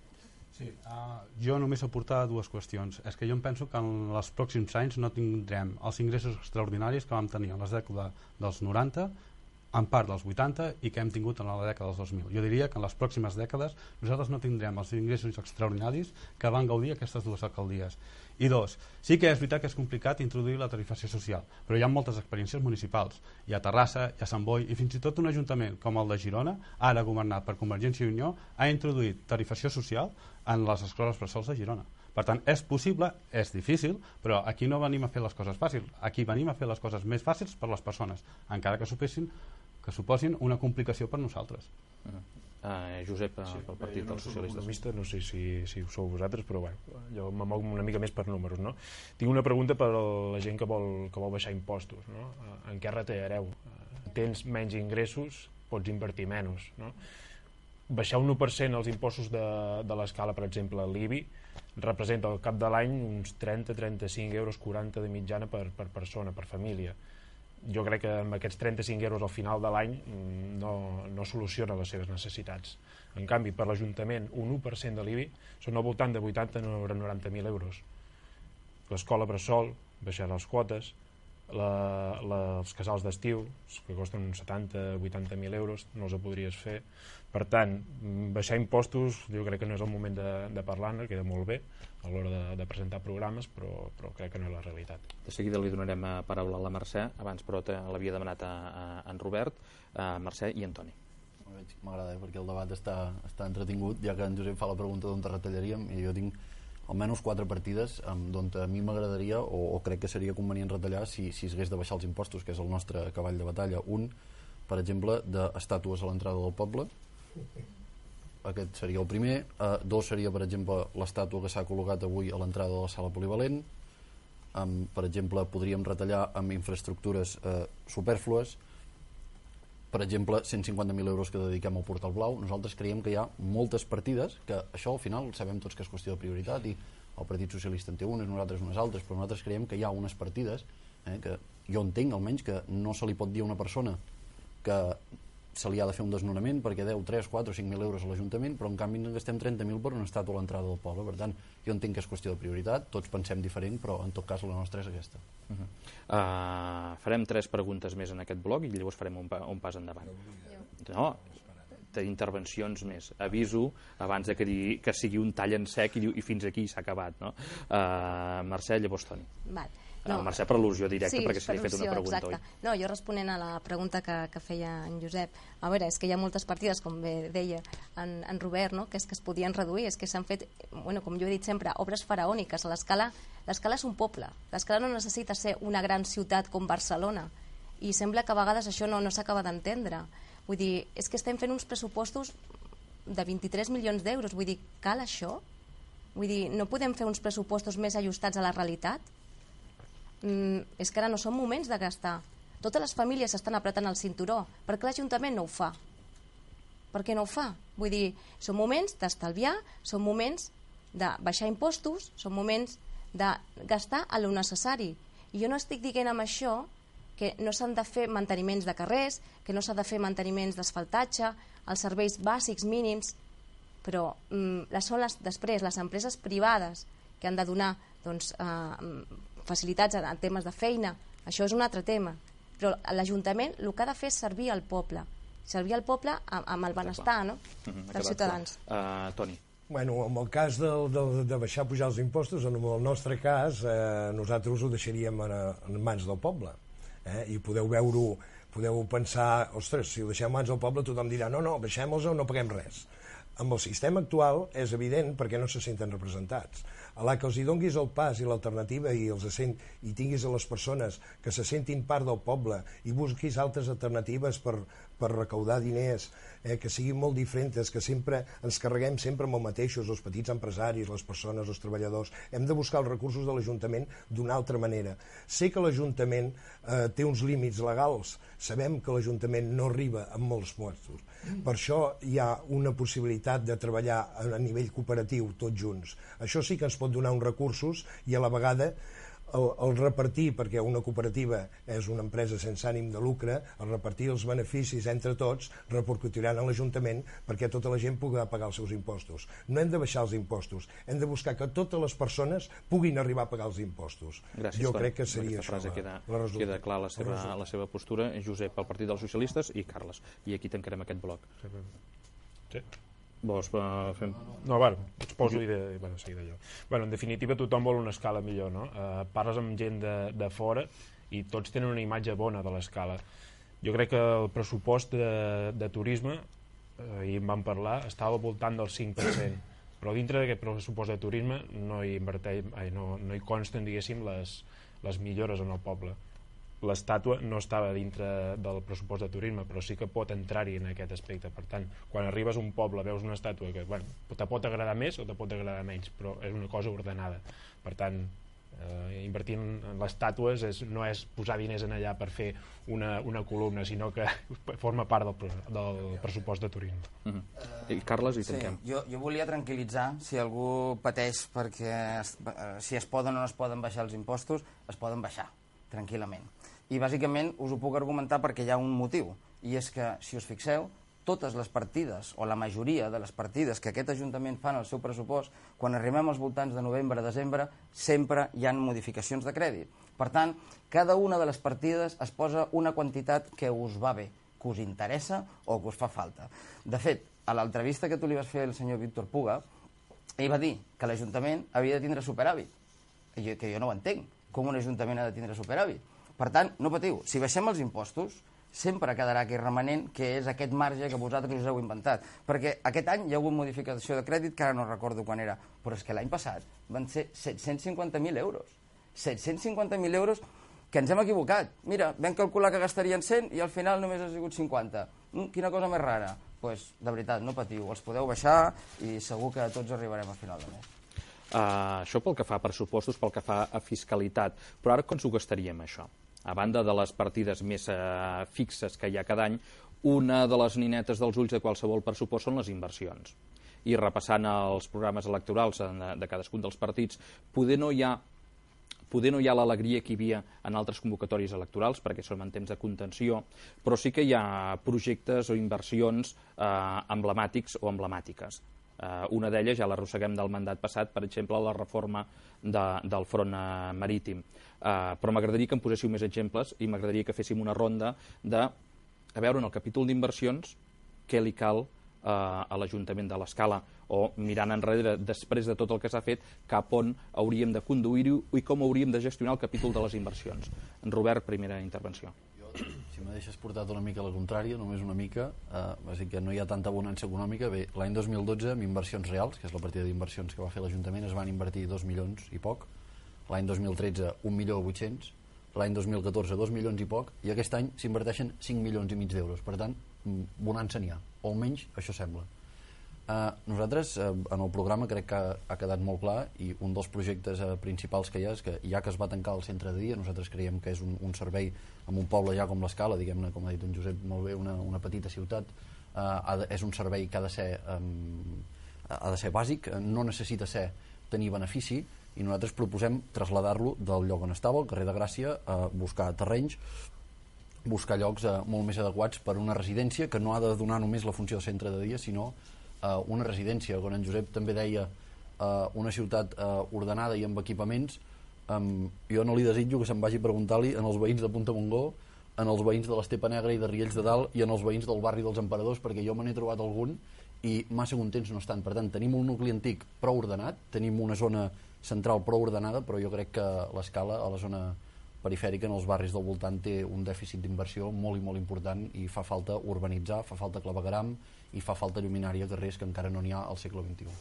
Sí, uh, jo només aportar dues qüestions. És que jo em penso que en els pròxims anys no tindrem els ingressos extraordinaris que vam tenir en les dècades dels noranta, en part dels vuitanta i que hem tingut en la dècada dels dos mil. Jo diria que en les pròximes dècades nosaltres no tindrem els ingressos extraordinaris que van gaudir aquestes dues alcaldies. I dos, sí que és veritat que és complicat introduir la tarifació social, però hi ha moltes experiències municipals. Hi ha Terrassa, hi ha Sant Boi i fins i tot un ajuntament com el de Girona, ara governat per Convergència i Unió, ha introduït tarifació social en les escoles bressols de Girona. Per tant, és possible, és difícil, però aquí no venim a fer les coses fàcils. Aquí venim a fer les coses més fàcils per les persones, encara que suposin, que suposin una complicació per nosaltres. Uh -huh. Uh, Josep, uh, sí, pel Partit dels Socialistes. Economista, no sé si, si ho sou vosaltres, però bueno, jo me moc una mica més per números, no? Tinc una pregunta per a la gent que vol, que vol baixar impostos, no? En què retallareu? Tens menys ingressos, pots invertir menys, no? Baixar un u per cent els impostos de, de l'Escala, per exemple, l'I B I, representa al cap de l'any uns trenta a trenta-cinc euros, quaranta de mitjana per, per persona, per família. Jo crec que amb aquests trenta-cinc euros al final de l'any no, no soluciona les seves necessitats. En canvi, per l'Ajuntament, un u per cent de l'I B I són al voltant de vuitanta a noranta mil euros. L'escola bressol, baixar les quotes, la, la, els casals d'estiu, que costen uns setanta a vuitanta mil euros, no els podries fer. Per tant, baixar impostos jo crec que no és el moment de, de parlar-ne, queda molt bé a l'hora de, de presentar programes, però, però crec que no és la realitat. De seguida li donarem a paraula a la Mercè, abans però l'havia demanat a, a en Robert, a Mercè i Antoni. M'agrada, eh, perquè el debat està, està entretingut, ja que en Josep fa la pregunta d'on te retallaríem, i jo tinc almenys quatre partides d'on a mi m'agradaria o, o crec que seria convenient retallar si, si s'hagués de baixar els impostos, que és el nostre cavall de batalla. Un, per exemple, d'estàtues a l'entrada del poble. Aquest seria el primer. Uh, dos seria, per exemple, l'estàtua que s'ha col·locat avui a l'entrada de la sala polivalent. Um, per exemple, podríem retallar amb infraestructures uh, superflues. Per exemple, cent cinquanta mil euros que dediquem al Portal Blau. Nosaltres creiem que hi ha moltes partides, que això al final sabem tots que és qüestió de prioritat i el Partit Socialista en té unes, nosaltres unes altres, però nosaltres creiem que hi ha unes partides eh, que jo entenc almenys que no se li pot dir a una persona que se li ha de fer un desnonament perquè deu tres, quatre o cinc mil euros a l'Ajuntament, però en canvi en gastem trenta mil per una estàtua a l'entrada del poble. Per tant, jo entenc que és qüestió de prioritat, tots pensem diferent, però en tot cas la nostra és aquesta. Uh -huh. uh, farem tres preguntes més en aquest bloc i llavors farem un, pa, un pas endavant. No, d'intervencions més. Aviso abans de que, digui, que sigui un tall en sec i, i fins aquí s'ha acabat. No? Uh, Mercè, llavors Toni. Val. No, uh, Mercè, per al·lusió directa, sí, perquè se li ha fet una pregunta, exacte. oi? No, jo responent a la pregunta que, que feia en Josep, a veure, és que hi ha moltes partides, com bé deia en, en Robert, no? que és que es podien reduir, és que s'han fet, bueno, com jo he dit sempre, obres faraòniques. L'Escala l'Escala és un poble, l'Escala no necessita ser una gran ciutat com Barcelona, i sembla que a vegades això no, no s'acaba d'entendre. Vull dir, és que estem fent uns pressupostos de vint-i-tres milions d'euros, vull dir, cal això? Vull dir, no podem fer uns pressupostos més ajustats a la realitat? Mm, és que ara no són moments de gastar. Totes les famílies s'estan apretant el cinturó. Per què l'Ajuntament no ho fa? per què no ho fa? Vull dir, són moments d'estalviar, són moments de baixar impostos, són moments de gastar a lo necessari. I jo no estic dient amb això que no s'han de fer manteniments de carrers, que no s'ha de fer manteniments d'asfaltatge, els serveis bàsics mínims, però mm, són les, després les empreses privades que han de donar doncs, eh, facilitats en, en temes de feina. Això és un altre tema. Però l'Ajuntament el que ha de fer és servir al poble, servir al poble amb, amb el benestar, no? dels ciutadans. Uh, Toni. Bueno, en el cas de, de, de baixar pujar els impostos, en el nostre cas, eh, nosaltres ho deixaríem en, en mans del poble. Eh? I podeu veure-ho, podeu pensar, ostres, si ho deixem en mans del poble tothom dirà, no, no, baixem-los o no paguem res. Amb el sistema actual és evident perquè no se senten representats. A la que els hi donguis el pas i l'alternativa i els sent, i tinguis a les persones que se sentin part del poble i busquis altres alternatives per, per recaudar diners, eh, que siguin molt diferents, que sempre ens carreguem sempre amb els mateixos, els petits empresaris, les persones, els treballadors. Hem de buscar els recursos de l'Ajuntament d'una altra manera. Sé que l'Ajuntament eh, té uns límits legals, sabem que l'Ajuntament no arriba amb molts puestos. Per això hi ha una possibilitat de treballar a nivell cooperatiu tots junts. Això sí que ens pot donar uns recursos i a la vegada el, el repartir, perquè una cooperativa és una empresa sense ànim de lucre, el repartir els beneficis entre tots repercutiran a l'Ajuntament perquè tota la gent pugui pagar els seus impostos. No hem de baixar els impostos, hem de buscar que totes les persones puguin arribar a pagar els impostos. Gràcies, jo Toni. crec que seria això frase la, queda, la resulta. queda clar la seva, la seva postura. Josep, pel Partit dels Socialistes, i Carles. I aquí tancarem aquest bloc. Sí. Vols uh, fem... No, bueno, us poso i de, bueno, seguida jo. Bueno, en definitiva, tothom vol una escala millor, no? Uh, parles amb gent de, de fora i tots tenen una imatge bona de l'escala. Jo crec que el pressupost de, de turisme, uh, ahir en vam parlar, estava al voltant del cinc per cent, però dintre d'aquest pressupost de turisme no hi, inverteix, ai, no, no hi consten, diguéssim, les, les millores en el poble. L'estàtua no estava dintre del pressupost de turisme, però sí que pot entrar-hi en aquest aspecte. Per tant, quan arribes a un poble, veus una estàtua que, bueno, te pot agradar més o te pot agradar menys, però és una cosa ordenada. Per tant, eh, invertir en les estàtues és, no és posar diners en allà per fer una, una columna, sinó que forma part del, del pressupost de turisme. Uh-huh. I Carles, i tanquem. Sí, jo, jo volia tranquil·litzar, si algú pateix perquè es, si es poden o no es poden baixar els impostos, es poden baixar, tranquil·lament. I bàsicament us ho puc argumentar perquè hi ha un motiu, i és que, si us fixeu, totes les partides, o la majoria de les partides que aquest Ajuntament fa en el seu pressupost, quan arribem als voltants de novembre-desembre, sempre hi ha modificacions de crèdit. Per tant, cada una de les partides es posa una quantitat que us va bé, que us interessa o que us fa falta. De fet, a l'entrevista que tu li vas fer al senyor Víctor Puga, ell va dir que l'Ajuntament havia de tindre superàvit, que jo no ho entenc, com un Ajuntament ha de tindre superàvit. Per tant, no patiu, si baixem els impostos, sempre quedarà aquell remanent que és aquest marge que vosaltres us heu inventat. Perquè aquest any hi ha hagut modificació de crèdit, que ara no recordo quan era, però és que l'any passat van ser set-cents cinquanta mil euros. set-cents cinquanta mil euros que ens hem equivocat. Mira, vam calcular que gastarien cent i al final només ha sigut cinquanta. Mm, quina cosa més rara. Doncs, pues, de veritat, no patiu, els podeu baixar i segur que tots arribarem a final de mes. Uh, això pel que fa a pressupostos, pel que fa a fiscalitat. Però ara com s'ho gastaríem, això? A banda de les partides més uh, fixes que hi ha cada any, una de les ninetes dels ulls de qualsevol pressupost són les inversions. I repassant els programes electorals de, de cadascun dels partits, poder no hi ha poder no hi ha l'alegria que hi havia en altres convocatòries electorals, perquè som en temps de contenció, però sí que hi ha projectes o inversions eh, emblemàtics o emblemàtiques. Uh, una d'elles ja l'arrosseguem del mandat passat, per exemple, la reforma de, del front uh, marítim. Uh, però m'agradaria que em poséssiu més exemples i m'agradaria que féssim una ronda de, a veure, en el capítol d'inversions, què li cal uh, a l'Ajuntament de l'Escala, o mirant enrere, després de tot el que s'ha fet, cap on hauríem de conduir-ho i com hauríem de gestionar el capítol de les inversions. En Robert, primera intervenció. Si me deixes portat una mica a la contrària, només una mica, eh, va dir que no hi ha tanta bonança econòmica. Bé, l'any dos mil dotze, amb inversions reals, que és la partida d'inversions que va fer l'Ajuntament, es van invertir dos milions i poc. L'any dos mil tretze, un milió vuit-cents. L'any dos mil catorze, dos milions i poc. I aquest any s'inverteixen cinc milions i mig d'euros. Per tant, bonança n'hi ha. O almenys això sembla. Uh, nosaltres, uh, en el programa, crec que ha, ha quedat molt clar, i un dels projectes uh, principals que hi ha és que, ja que es va tancar el centre de dia, nosaltres creiem que és un, un servei en un poble ja com l'Escala, diguem-ne, com ha dit en Josep molt bé, una, una petita ciutat uh, és un servei que ha de ser, um, ha de ser bàsic, no necessita ser tenir benefici, i nosaltres proposem traslladar-lo del lloc on estava, al carrer de Gràcia, a buscar terrenys, buscar llocs uh, molt més adequats per a una residència que no ha de donar només la funció de centre de dia, sinó uh, una residència, quan en Josep també deia uh, una ciutat uh, ordenada i amb equipaments. Um, jo no li desitjo que se'n vagi a preguntar-li en els veïns de Punta Montgó, en els veïns de l'Estepa Negra i de Riells de Dalt i en els veïns del barri dels Emperadors, perquè jo me n'he trobat algun i massa contents no estan. Per tant, tenim un nucli antic prou ordenat, tenim una zona central prou ordenada, però jo crec que l'Escala, a la zona perifèrica, en els barris del voltant, té un dèficit d'inversió molt i molt important i fa falta urbanitzar, fa falta clavegueram i fa falta lluminària a carrers que encara no n'hi ha al segle vint-i-u.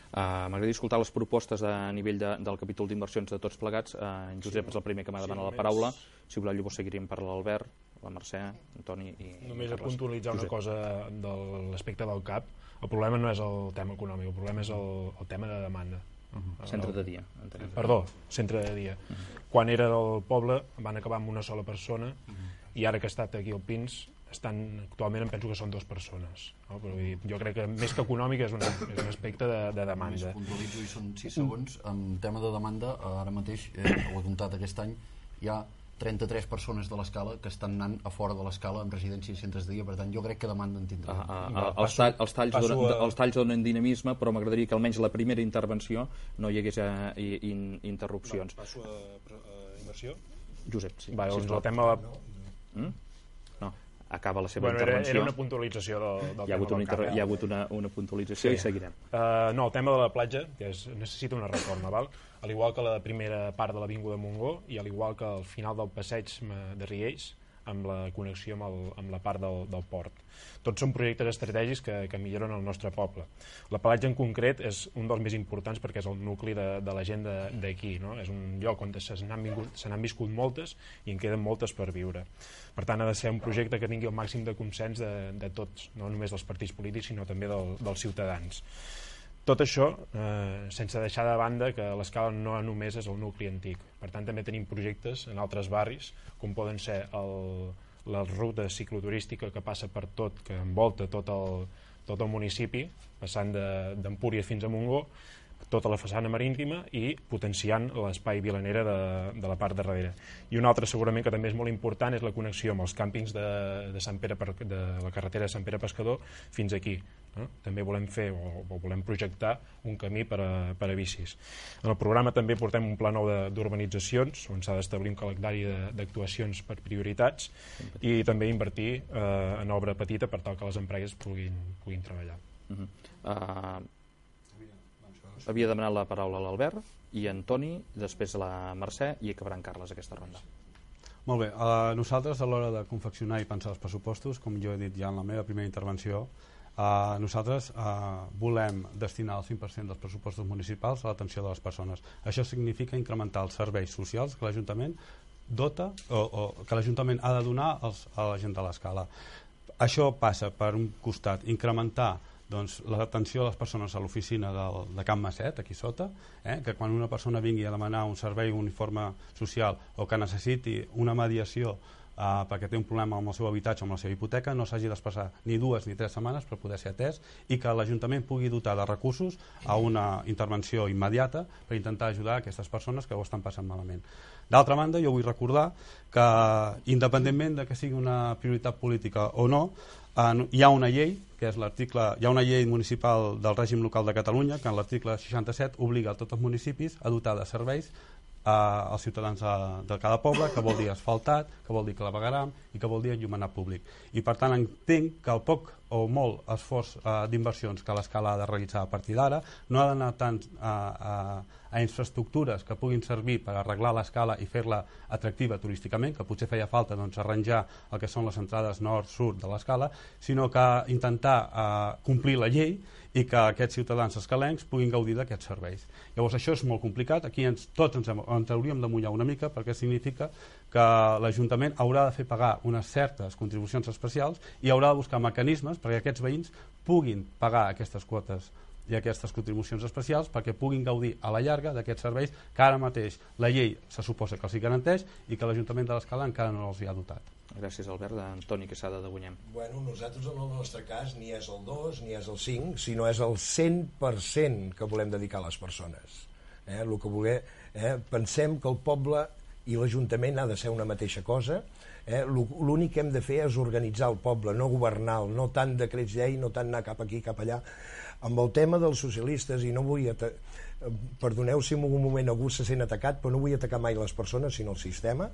Uh, M'agradaria escoltar les propostes a nivell de, del capítol d'inversions de tots plegats. Uh, en Josep és el primer que m'ha demanat la paraula. Si voleu, llavors seguiríem per l'Albert, la Mercè, Antoni i Només a Carles. puntualitzar una Josep. cosa de l'aspecte del C A P. El problema no és el tema econòmic, el problema és el, el tema de demanda. Uh-huh. Centre de dia. Entenem. Perdó, centre de dia. Uh-huh. Quan era del poble van acabar amb una sola persona, uh-huh. i ara que ha estat aquí al Pins estan, actualment em penso que són dues persones, no? Però jo crec que més que econòmic és un, és un aspecte de, de demanda. Només puntualitzo i són sis segons. En tema de demanda, ara mateix, eh, ho he comptat aquest any, hi ha trenta-tres persones de l'Escala que estan anant a fora de l'Escala en residències i centres de dia, per tant jo crec que demanda en tindrà. Ah, ah, ah, els, tall, els, talls donen, a... els talls donen dinamisme, però m'agradaria que almenys la primera intervenció no hi hagués uh, in, interrupcions. Va, passo a, a inversió? Josep, sí. Va, doncs el tema... De... Mm? No, acaba la seva bueno, intervenció. Era, era una puntualització del, del hi ha tema hagut una, del hi ha hagut una, una puntualització, sí. I seguirem. Uh, no, el tema de la platja, que és, necessita una reforma, val? Al igual que la primera part de l'Avinguda Montgó i al igual que al final del passeig de Riells, amb la connexió amb, el, amb la part del, del port. Tots són projectes estratègics que, que milloren el nostre poble. La platja en concret és un dels més importants perquè és el nucli de, de la gent d'aquí, no? És un lloc on se n'han viscut moltes i en queden moltes per viure. Per tant, ha de ser un projecte que tingui el màxim de consens de, de tots, no només dels partits polítics, sinó també del, dels ciutadans. Tot això eh, sense deixar de banda que l'Escala no només és el nucli antic. Per tant, també tenim projectes en altres barris, com poden ser el, la ruta cicloturística que passa per tot, que envolta tot el, tot el municipi, passant d'Empúries fins a Montgó, tota la façana marítima i potenciant l'espai vilanera de, de la part de darrere. I un altre segurament que també és molt important és la connexió amb els càmpings de, de, Sant Pere, de la carretera de Sant Pere Pescador fins aquí. No? També volem fer o, o volem projectar un camí per a, per a bicis. En el programa també portem un pla nou d'urbanitzacions on s'ha d'establir un calendari d'actuacions per prioritats i també invertir eh, en obra petita per tal que les empreses puguin, puguin treballar. Uh-huh. uh, Havia demanat la paraula a l'Albert i a Antoni, després a la Mercè i acabarà en Carles aquesta ronda. Molt bé, uh, nosaltres a l'hora de confeccionar i pensar els pressupostos, com jo he dit ja en la meva primera intervenció, uh, nosaltres uh, volem destinar el cinc per cent dels pressupostos municipals a l'atenció de les persones. Això significa incrementar els serveis socials que l'Ajuntament dota o, o que l'Ajuntament ha de donar als, a la gent de l'Escala. Això passa per un costat incrementar doncs, l'atenció de les persones a l'oficina de Can Masset, aquí sota, eh, que quan una persona vingui a demanar un servei, un informe social o que necessiti una mediació eh, perquè té un problema amb el seu habitatge o amb la seva hipoteca, no s'hagi d'espassar ni dues ni tres setmanes per poder ser atès i que l'Ajuntament pugui dotar de recursos a una intervenció immediata per intentar ajudar aquestes persones que ho estan passant malament. D'altra banda, jo vull recordar que independentment de que sigui una prioritat política o no, Uh, hi ha una llei, que és l'article, hi ha una llei municipal del règim local de Catalunya que en l'article seixanta-set obliga a tots els municipis a dotar de serveis uh, als ciutadans de, de cada poble, que vol dir asfaltat, que vol dir clavegueram i que vol dir enllumenat públic. I per tant entenc que el poc o molt esforç uh, d'inversions que l'Escala ha de realitzar a partir d'ara no ha d'anar tant a, a, a infraestructures que puguin servir per arreglar l'Escala i fer-la atractiva turísticament, que potser feia falta doncs, arranjar el que són les entrades nord-sud de l'Escala, sinó que intentar uh, complir la llei i que aquests ciutadans escalencs puguin gaudir d'aquests serveis. Llavors això és molt complicat, aquí ens, tots ens, ens hauríem de mullar una mica perquè significa que l'Ajuntament haurà de fer pagar unes certes contribucions especials i haurà de buscar mecanismes perquè aquests veïns puguin pagar aquestes quotes i aquestes contribucions especials perquè puguin gaudir a la llarga d'aquests serveis que ara mateix la llei se suposa que els hi garanteix i que l'Ajuntament de l'Escala encara no els hi ha dotat. Gràcies, Albert. Antoni Quesada, de Guanyem. Bueno, nosaltres en el nostre cas ni és el dos ni és el cinc, sinó és el cent per cent que volem dedicar a les persones. Eh? El que voler, eh? Pensem que el poble i l'Ajuntament ha de ser una mateixa cosa. Eh? L'únic que hem de fer és organitzar el poble, no governar-lo, no tant decrets llei, no tant anar cap aquí, cap allà. Amb el tema dels socialistes, i no vull... Perdoneu si en un moment algú se sent atacat, però no vull atacar mai les persones, sinó el sistema.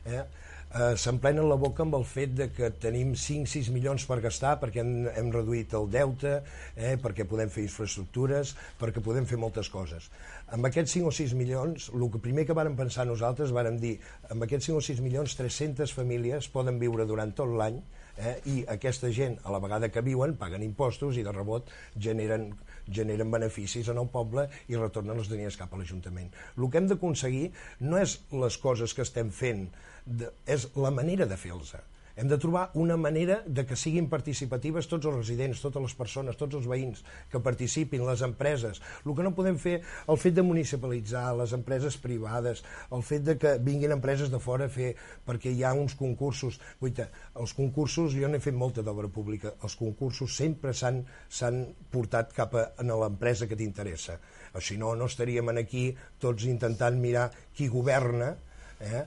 Eh? Eh, s'emplenen la boca amb el fet de que tenim cinc sis milions per gastar perquè hem, hem reduït el deute, eh, perquè podem fer infraestructures, perquè podem fer moltes coses. Amb aquests cinc o sis milions, el que primer que vàrem pensar nosaltres, vàrem dir, amb aquests cinc o sis milions, tres-centes famílies poden viure durant tot l'any, eh, i aquesta gent, a la vegada que viuen, paguen impostos i de rebot generen, generen beneficis en el poble i retornen els diners cap a l'Ajuntament. El que hem d'aconseguir no és les coses que estem fent, de, és la manera de fer-los. Hem de trobar una manera de que siguin participatives tots els residents, totes les persones, tots els veïns que participin, les empreses. El que no podem fer, el fet de municipalitzar les empreses privades, el fet de que vinguin empreses de fora a fer, perquè hi ha uns concursos. Guaita, els concursos, jo n'he fet molta d'obra pública, els concursos sempre s'han portat cap a, a l'empresa que t'interessa. O si no, no estaríem aquí tots intentant mirar qui governa, eh?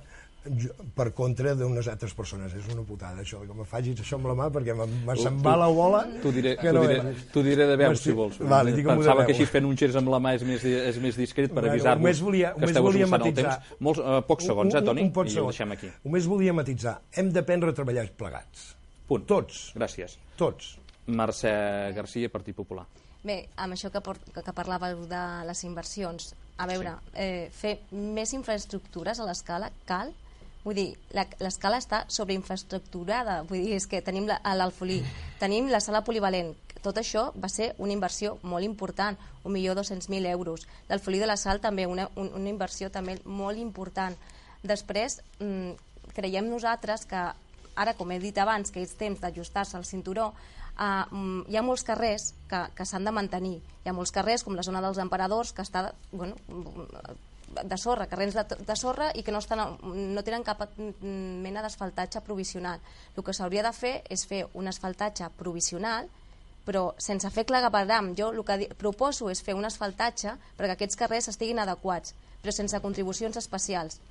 per contra d'unes altres persones. És una putada això, que me facis això amb la mà perquè me se'n va la bola. T'ho diré, no diré, diré de veu, si vols. Vale, pensava que així fent un gest amb la mà és més, és més discret per avisar-vos que esteu esbossant el temps. Molts, uh, pocs segons, eh, Toni? I ho deixem aquí. Només volia matitzar. Hem d'aprendre a treballar plegats. Punt. Tots. Gràcies. Tots. Mercè Garcia, Partit Popular. Bé, amb això que, que parlàveu de les inversions, a veure, eh, fer més infraestructures a l'Escala cal. Vull dir, l'Escala està sobreinfraestructurada, vull dir, és que tenim l'Alfolí, tenim la sala polivalent, tot això va ser una inversió molt important, un milió dos-cents mil euros. L'Alfolí de la Sal també, una, una inversió també molt important. Després, mmm, creiem nosaltres que, ara com he dit abans, que és temps d'ajustar-se al cinturó, Uh, hi ha molts carrers que, que s'han de mantenir. Hi ha molts carrers, com la zona dels Emperadors, que està, bueno, de sorra, carrers de, de sorra i que no, estan, no tenen cap mena d'asfaltatge provisional. El que s'hauria de fer és fer un asfaltatge provisional, però sense fer clavegueram. Jo el que proposo és fer un asfaltatge perquè aquests carrers estiguin adequats, però sense contribucions especials.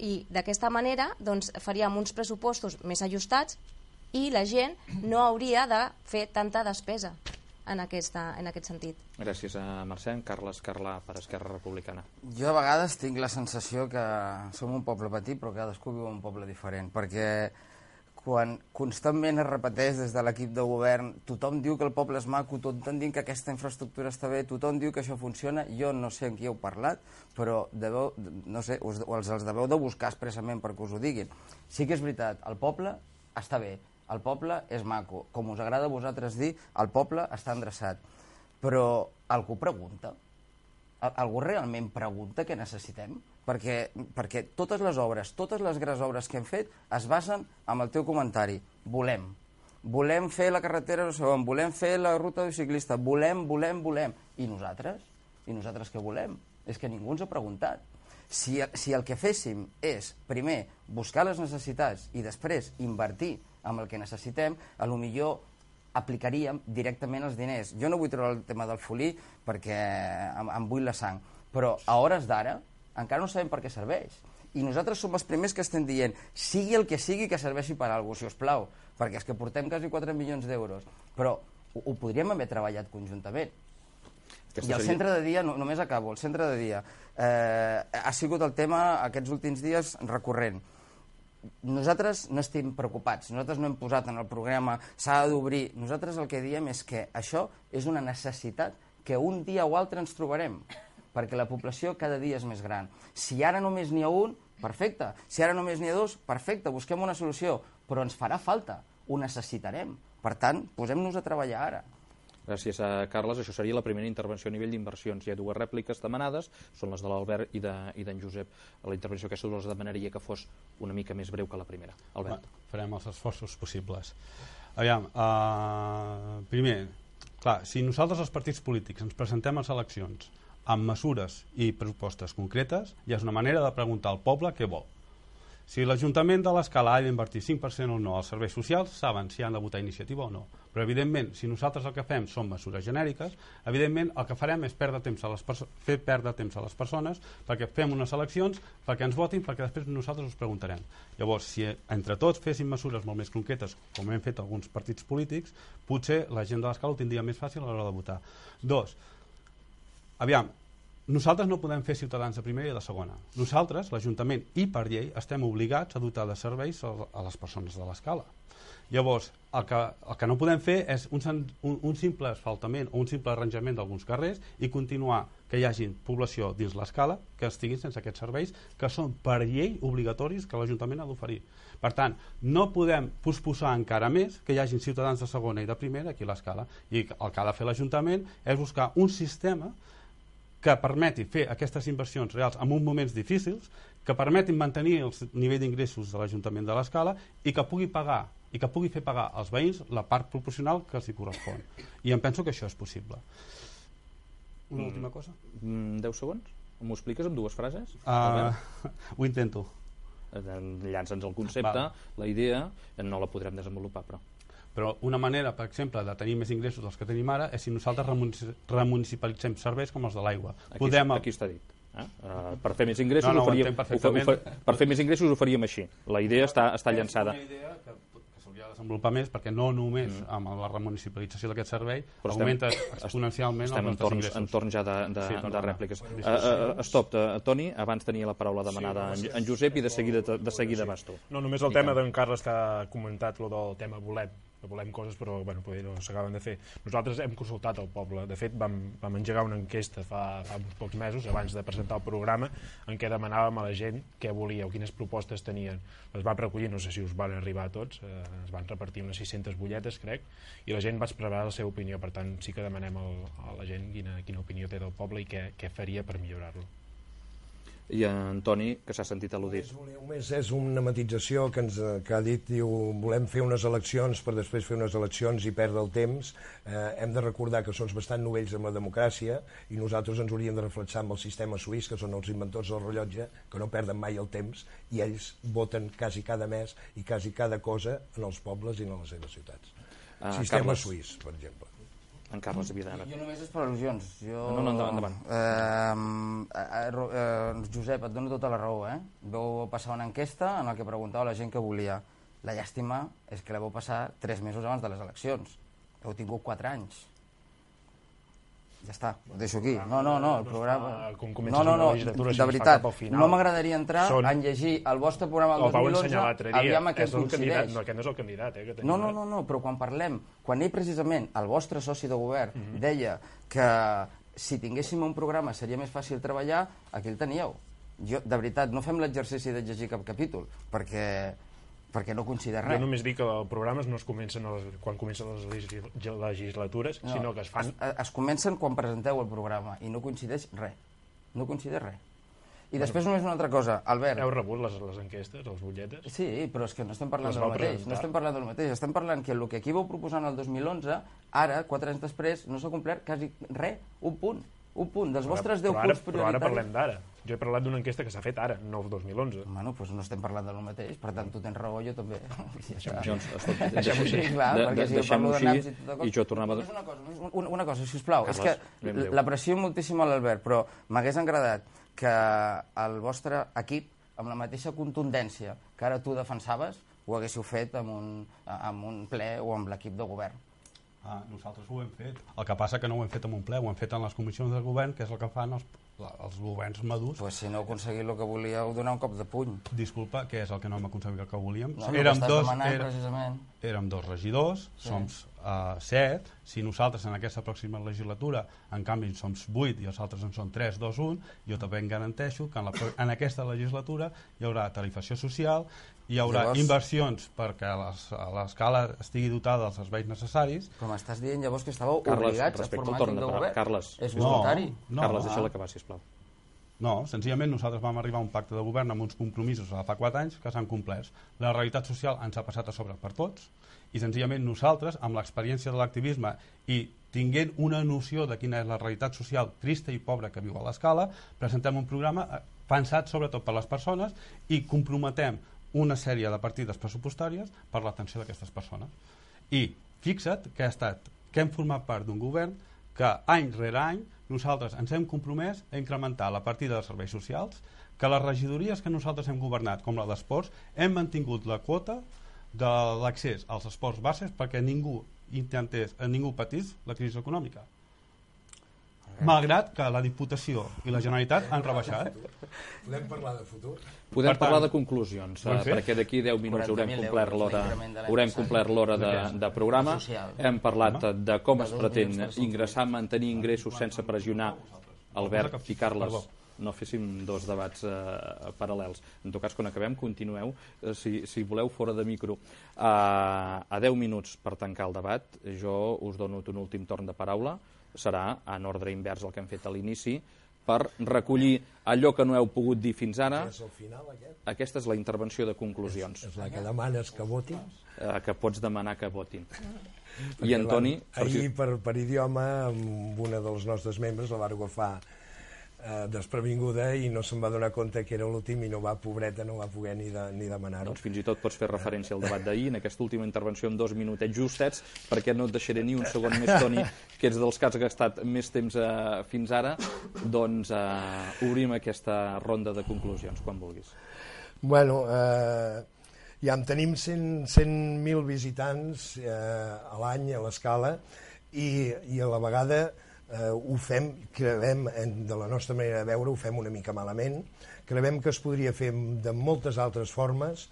I d'aquesta manera doncs, faríem uns pressupostos més ajustats i la gent no hauria de fer tanta despesa en, aquesta, en aquest sentit. Gràcies a Mercè. Carles Carlà, per Esquerra Republicana. Jo a vegades tinc la sensació que som un poble petit, però cadascú viu un poble diferent, perquè quan constantment es repeteix des de l'equip de govern, tothom diu que el poble és maco, tothom diu que aquesta infraestructura està bé, tothom diu que això funciona, jo no sé amb qui heu parlat, però deveu, no sé, us, els, els deveu de buscar expressament perquè us ho diguin. Sí que és veritat, el poble està bé, el poble és maco, com us agrada a vosaltres dir, el poble està endreçat. Però algú pregunta? Algú realment pregunta què necessitem? Perquè, perquè totes les obres, totes les grans obres que hem fet es basen en el teu comentari. Volem. Volem fer la carretera, no sé on, volem fer la ruta de ciclista, volem, volem, volem. I nosaltres? I nosaltres què volem? És que ningú ens ha preguntat. Si, si el que féssim és, primer, buscar les necessitats i després invertir amb el que necessitem, a lo millor aplicaríem directament els diners. Jo no vull treure el tema del folí perquè em, em bull la sang, però a hores d'ara encara no sabem per què serveix. I nosaltres som els primers que estem dient sigui el que sigui que serveixi per a alguna cosa, si us plau, perquè és que portem quasi quatre milions d'euros, però ho, ho podríem haver treballat conjuntament. I el centre de dia, no, només acabo, el centre de dia eh, ha sigut el tema aquests últims dies recurrent. Nosaltres no estem preocupats, nosaltres no hem posat en el programa s'ha d'obrir, nosaltres el que diem és que això és una necessitat que un dia o altre ens trobarem, perquè la població cada dia és més gran. Si ara només n'hi ha un, perfecte, si ara només n'hi ha dos, perfecte, busquem una solució, però ens farà falta, ho necessitarem, per tant, posem-nos a treballar ara. Gràcies a Carles. Això seria la primera intervenció a nivell d'inversions. Hi ha dues rèpliques demanades, són les de l'Albert i d'en de, Josep. La intervenció aquesta us demanaria que fos una mica més breu que la primera. Albert. Va, farem els esforços possibles. Aviam, uh, primer, Clar, si nosaltres els partits polítics ens presentem a les eleccions amb mesures i propostes concretes, ja és una manera de preguntar al poble què vol. Si l'Ajuntament de l'Escala ha d'invertir cinc per cent o no als serveis socials, saben si han de votar iniciativa o no. Però, evidentment, si nosaltres el que fem són mesures genèriques, evidentment el que farem és perdre temps a les fer perdre temps a les persones perquè fem unes eleccions, perquè ens votin, perquè després nosaltres us preguntarem. Llavors, si entre tots féssim mesures molt més concretes, com hem fet alguns partits polítics, potser la gent de l'Escala ho tindria més fàcil a l'hora de votar. Dos, aviam, nosaltres no podem fer ciutadans de primera i de segona. Nosaltres, l'Ajuntament i per llei, estem obligats a dotar de serveis a les persones de l'Escala. Llavors, el que, el que no podem fer és un, un, un simple asfaltament o un simple arranjament d'alguns carrers i continuar que hi hagi població dins l'Escala que estiguin sense aquests serveis que són per llei obligatoris que l'Ajuntament ha d'oferir. Per tant, no podem posposar encara més que hi hagin ciutadans de segona i de primera aquí a l'Escala. I el que ha de fer l'Ajuntament és buscar un sistema que permeti fer aquestes inversions reals en uns moments difícils, que permetin mantenir el nivell d'ingressos de l'Ajuntament de l'Escala i que pugui pagar i que pugui fer pagar als veïns la part proporcional que els hi correspon. I em penso que això és possible. Una mm. última cosa? Mm, deu segons? M'ho expliques amb dues frases? Uh, ho intento. Llança'ns el concepte, Val. La idea, no la podrem desenvolupar, però... Però una manera, per exemple, de tenir més ingressos dels que tenim ara és si nosaltres remunicipalitzem serveis com els de l'aigua. Aquí, Podem... aquí està dit. Eh? Uh, per fer més ingressos no, no, ho faríem, ho fa, ho fa, per fer més ingressos ho faríem així. La idea està, està llançada. És una idea que, que s'hauria de desenvolupar més perquè no només mm. amb la remunicipalització d'aquest servei però augmenta estem, exponencialment estem els nostres ingressos. Entorn ja de, de, sí, de rèpliques. Uh, uh, stop, uh, Toni, abans tenia la paraula demanada sí, en, en Josep i de seguida, de seguida vas tu. No, només el I tema d'en Carles que ha comentat lo del tema volem que volem coses però bueno, no s'acaben de fer. Nosaltres hem consultat el poble, de fet vam, vam engegar una enquesta fa, fa uns pocs mesos abans de presentar el programa en què demanàvem a la gent què volia o quines propostes tenien. Les vam recollir, no sé si us van arribar a tots, eh, es van repartir unes sis-centes butlletes crec, i la gent va expressar la seva opinió, per tant sí que demanem al, a la gent quina, quina opinió té del poble i què, què faria per millorar-lo. I en Toni, que s'ha sentit al·ludit. Només és una matització que, ens, que ha dit, diu, volem fer unes eleccions per després fer unes eleccions i perdre el temps. Eh, hem de recordar que són bastant novells amb la democràcia i nosaltres ens hauríem de reflexar amb el sistema suís, que són els inventors del rellotge, que no perden mai el temps, i ells voten quasi cada mes i quasi cada cosa en els pobles i en les seves ciutats. Uh, sistema Carles. Suís, per exemple. En Carles Vidal. Jo només és per al·lusions. Jo... No, no, endavant, endavant. Eh, eh, eh, Josep, et dono tota la raó, eh? Vau passar una enquesta en la que preguntava a la gent que volia. La llàstima és que la vau passar tres mesos abans de les eleccions. Heu tingut quatre anys. Ja està, ho deixo aquí. No, no, no, el programa... No, no, no, de veritat, no m'agradaria entrar a llegir el vostre programa del dos mil onze, aviam a què coincideix. No, aquest no és el candidat, eh? No, no, no, no, però quan parlem, quan ell precisament, el vostre soci de govern, deia que si tinguéssim un programa seria més fàcil treballar, aquí el teníeu. Jo, de veritat, no fem l'exercici de llegir cap capítol, perquè... perquè no coincideix res. Jo només dic que els programes no es comencen les, quan comencen les legislatures, no, sinó que es fan... Es, es comencen quan presenteu el programa i no coincideix res. No coincideix res. I bueno, després només una altra cosa, Albert... Heu rebut les, les enquestes, les butlletes? Sí, però és que no estem parlant del mateix. Presentar. No estem parlant del mateix. Estem parlant que el que aquí vau proposar el dos mil onze, ara, quatre anys després, no s'ha complert quasi res, un punt. Un punt dels vostres deu punts prioritaris. Però ara parlem d'ara. Jo he parlat d'una enquesta que s'ha fet ara, no el dos mil onze. Bueno, doncs no estem parlant del mateix, per tant tu tens raó, jo també. Deixem-ho així. Deixem-ho així i jo tornava... Una cosa, una, una cosa, sisplau, és que l'aprecio moltíssim a l'Albert, però m'hagués agradat que el vostre equip, amb la mateixa contundència que ara tu defensaves, ho haguéssiu fet amb un, amb un ple o amb l'equip de govern. Ah, nosaltres ho hem fet. El que passa que no ho hem fet en un ple, ho hem fet en les comissions de govern, que és el que fan els, els governs madurs. Pues si no heu aconseguit el que volíeu, donar un cop de puny. Disculpa, què és el que no hem aconseguit el que volíem? No, érem, dos, demanant, era, precisament. érem dos regidors, sí. som uh, set, si nosaltres en aquesta pròxima legislatura en canvi som vuit i els altres en són tres, dos, un, jo també em garanteixo que en, la, en aquesta legislatura hi haurà tarifació social, hi haurà llavors, inversions perquè l'Escala estigui dotada dels serveis necessaris. Però m'estàs dient llavors que estàveu Carles, obligats a formar equip de govern? Carles, és voluntari? No, no, Carles, deixa-la acabar, sisplau. No, senzillament nosaltres vam arribar a un pacte de govern amb uns compromisos fa quatre anys que s'han complert. La realitat social ens ha passat a sobre per tots i senzillament nosaltres, amb l'experiència de l'activisme i tinguent una noció de quina és la realitat social trista i pobra que viu a l'Escala, presentem un programa pensat sobretot per les persones i comprometem una sèrie de partides pressupostàries per l'atenció d'aquestes persones. I fixa't que ha estat, que hem format part d'un govern que any rere any nosaltres ens hem compromès a incrementar la partida de serveis socials, que les regidories que nosaltres hem governat, com la d'esports, hem mantingut la quota de l'accés als esports bases perquè ningú intentés, ningú patís la crisi econòmica. Malgrat que la Diputació i la Generalitat han rebaixat. Podem parlar de futur? Podem Per tant, parlar de conclusions, eh, perquè d'aquí deu minuts haurem complert l'hora haurem complert l'hora de, de programa. Hem parlat de com es pretén ingressar, mantenir ingressos sense pressionar Albert i Carles. No féssim dos debats eh, paral·lels. En tot cas, quan acabem, continueu, eh, si, si voleu, fora de micro. Uh, a deu minuts per tancar el debat, jo us dono un últim torn de paraula. Serà en ordre invers el que hem fet a l'inici, per recollir allò que no heu pogut dir fins ara. És el final, aquest? Aquesta és la intervenció de conclusions. És la que demanes que votin? Eh, que pots demanar que votin. I Antoni... Ahir, per, per idioma, amb una dels nostres membres la va agafar eh, desprevinguda i no se'n va donar compte que era l'últim i no va, pobreta, no va poder ni, de, ni demanar-ho. Doncs fins i tot pots fer referència al debat d'ahir, en aquesta última intervenció amb dos minutets justets, perquè no et deixaré ni un segon més, Toni, que ets dels que has gastat més temps eh, fins ara. Doncs eh, obrim aquesta ronda de conclusions, quan vulguis. Bueno, eh, ja en tenim cent mil visitants eh, a l'any a l'Escala i, i a la vegada eh, ho fem, creiem, de la nostra manera de veure, ho fem una mica malament, creiem que es podria fer de moltes altres formes,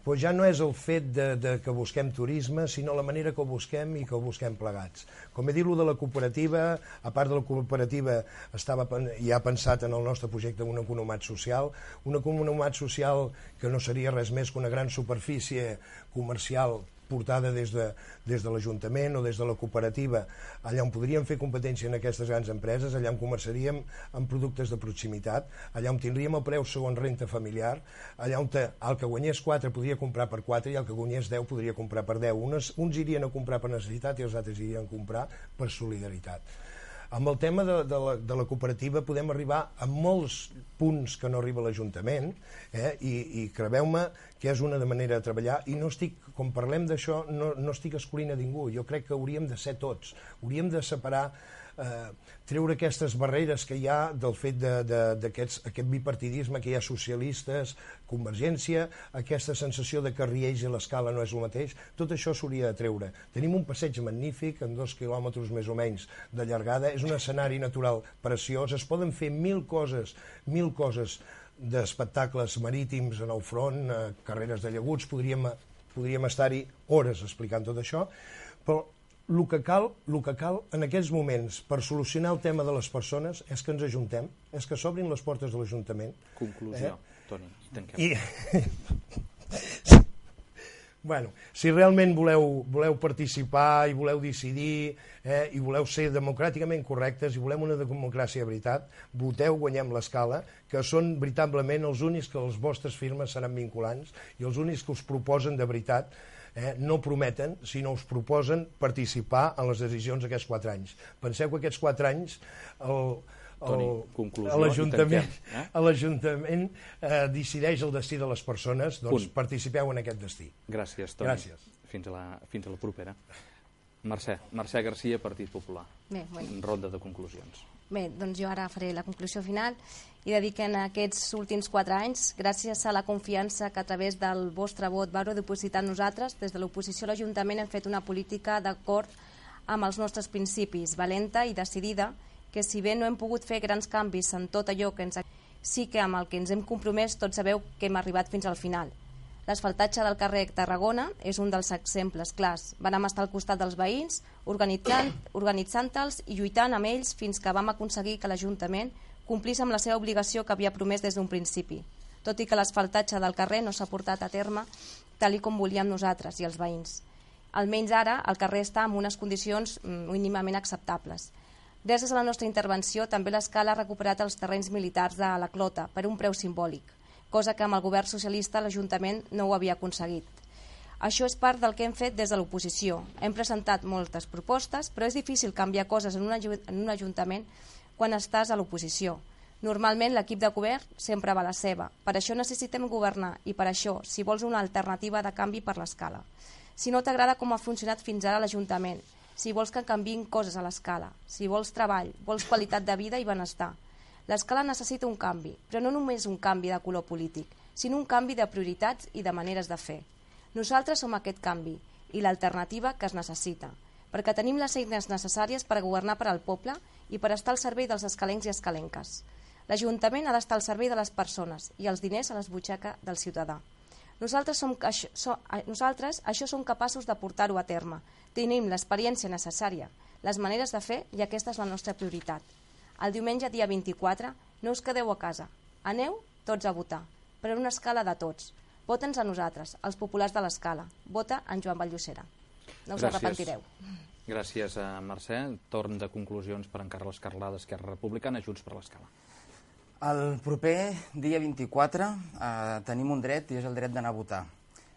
però ja no és el fet de, de que busquem turisme, sinó la manera que ho busquem i que ho busquem plegats. Com he dit, lo de la cooperativa, a part de la cooperativa, estava ja pensat en el nostre projecte un economat social, un economat social que no seria res més que una gran superfície comercial portada des de, des de l'Ajuntament o des de la cooperativa, allà on podríem fer competència en aquestes grans empreses, allà on comerciaríem amb productes de proximitat, allà on tindríem el preu segons renta familiar, allà on el que guanyés quatre podria comprar per quatre i el que guanyés deu podria comprar per deu. Uns, uns irien a comprar per necessitat i els altres irien a comprar per solidaritat. Amb el tema de, de, la, de la cooperativa podem arribar a molts punts que no arriba l'Ajuntament eh? I, i crebeu-me que és una de manera de treballar i no estic, com parlem d'això, no, no estic escollint a ningú, jo crec que hauríem de ser tots, hauríem de separar, eh, treure aquestes barreres que hi ha del fet d'aquest bipartidisme que hi ha socialistes, Convergència, aquesta sensació de que Riells i l'Escala no és el mateix, tot això s'hauria de treure. Tenim un passeig magnífic, en dos quilòmetres més o menys de llargada, és un escenari natural preciós, es poden fer mil coses, mil coses d'espectacles marítims en el front, eh, carreres de llaguts, podríem, podríem estar-hi hores explicant tot això, però el que cal, el que cal en aquests moments per solucionar el tema de les persones és que ens ajuntem, és que s'obrin les portes de l'Ajuntament. Conclusió, eh? Toni, tanquem. I... bueno, si realment voleu, voleu participar i voleu decidir eh, i voleu ser democràticament correctes i volem una democràcia de veritat, voteu Guanyem l'Escala, que són veritablement els únics que les vostres firmes seran vinculants i els únics que us proposen de veritat. Eh, no prometen, sinó us proposen participar en les decisions d'aquests quatre anys. Penseu que aquests quatre anys l'Ajuntament eh? eh, decideix el destí de les persones, doncs Punt. Participeu en aquest destí. Gràcies, Toni. Gràcies. Fins a la, fins a la propera. Mercè, Mercè Garcia, Partit Popular. Bé, bueno. Ronda de conclusions. Bé, doncs jo ara faré la conclusió final i de dir que en aquests últims quatre anys, gràcies a la confiança que a través del vostre vot vau depositar en nosaltres, des de l'oposició a l'Ajuntament hem fet una política d'acord amb els nostres principis, valenta i decidida, que si bé no hem pogut fer grans canvis en tot allò que ens... sí que amb el que ens hem compromès tots sabeu que hem arribat fins al final. L'asfaltatge del carrer Tarragona és un dels exemples clars. Vam estar al costat dels veïns, organitzant, organitzant-los i lluitant amb ells fins que vam aconseguir que l'Ajuntament complís amb la seva obligació que havia promès des d'un principi, tot i que l'asfaltatge del carrer no s'ha portat a terme tal i com volíem nosaltres i els veïns. Almenys ara el carrer està en unes condicions mínimament acceptables. Gràcies a la nostra intervenció també l'Escala ha recuperat els terrenys militars de la Clota per un preu simbòlic, cosa que amb el govern socialista l'Ajuntament no ho havia aconseguit. Això és part del que hem fet des de l'oposició. Hem presentat moltes propostes, però és difícil canviar coses en un, en un ajuntament quan estàs a l'oposició. Normalment l'equip de govern sempre va a la seva. Per això necessitem governar i per això, si vols una alternativa de canvi per l'escala. Si no t'agrada com ha funcionat fins ara l'Ajuntament, si vols que canviïn coses a l'escala, si vols treball, vols qualitat de vida i benestar. L'escala necessita un canvi, però no només un canvi de color polític, sinó un canvi de prioritats i de maneres de fer. Nosaltres som aquest canvi i l'alternativa que es necessita, perquè tenim les eines necessàries per governar per al poble i per estar al servei dels escalencs i escalenques. L'Ajuntament ha d'estar al servei de les persones i els diners a les butxaques del ciutadà. Nosaltres, som, això, so, nosaltres això som capaços de portar-ho a terme. Tenim l'experiència necessària, les maneres de fer i aquesta és la nostra prioritat. El diumenge dia vint-i-quatre no us quedeu a casa. Aneu tots a votar, però en una escala de tots. Vota'ns a nosaltres, els populars de l'escala. Vota en Joan Vallllocera. No us Gràcies. arrepentireu. Gràcies a Mercè. Torn de conclusions per en Carles Carlà d'Esquerra Republicana, Junts per l'Escala. El proper dia vint-i-quatre eh, tenim un dret i és el dret d'anar a votar.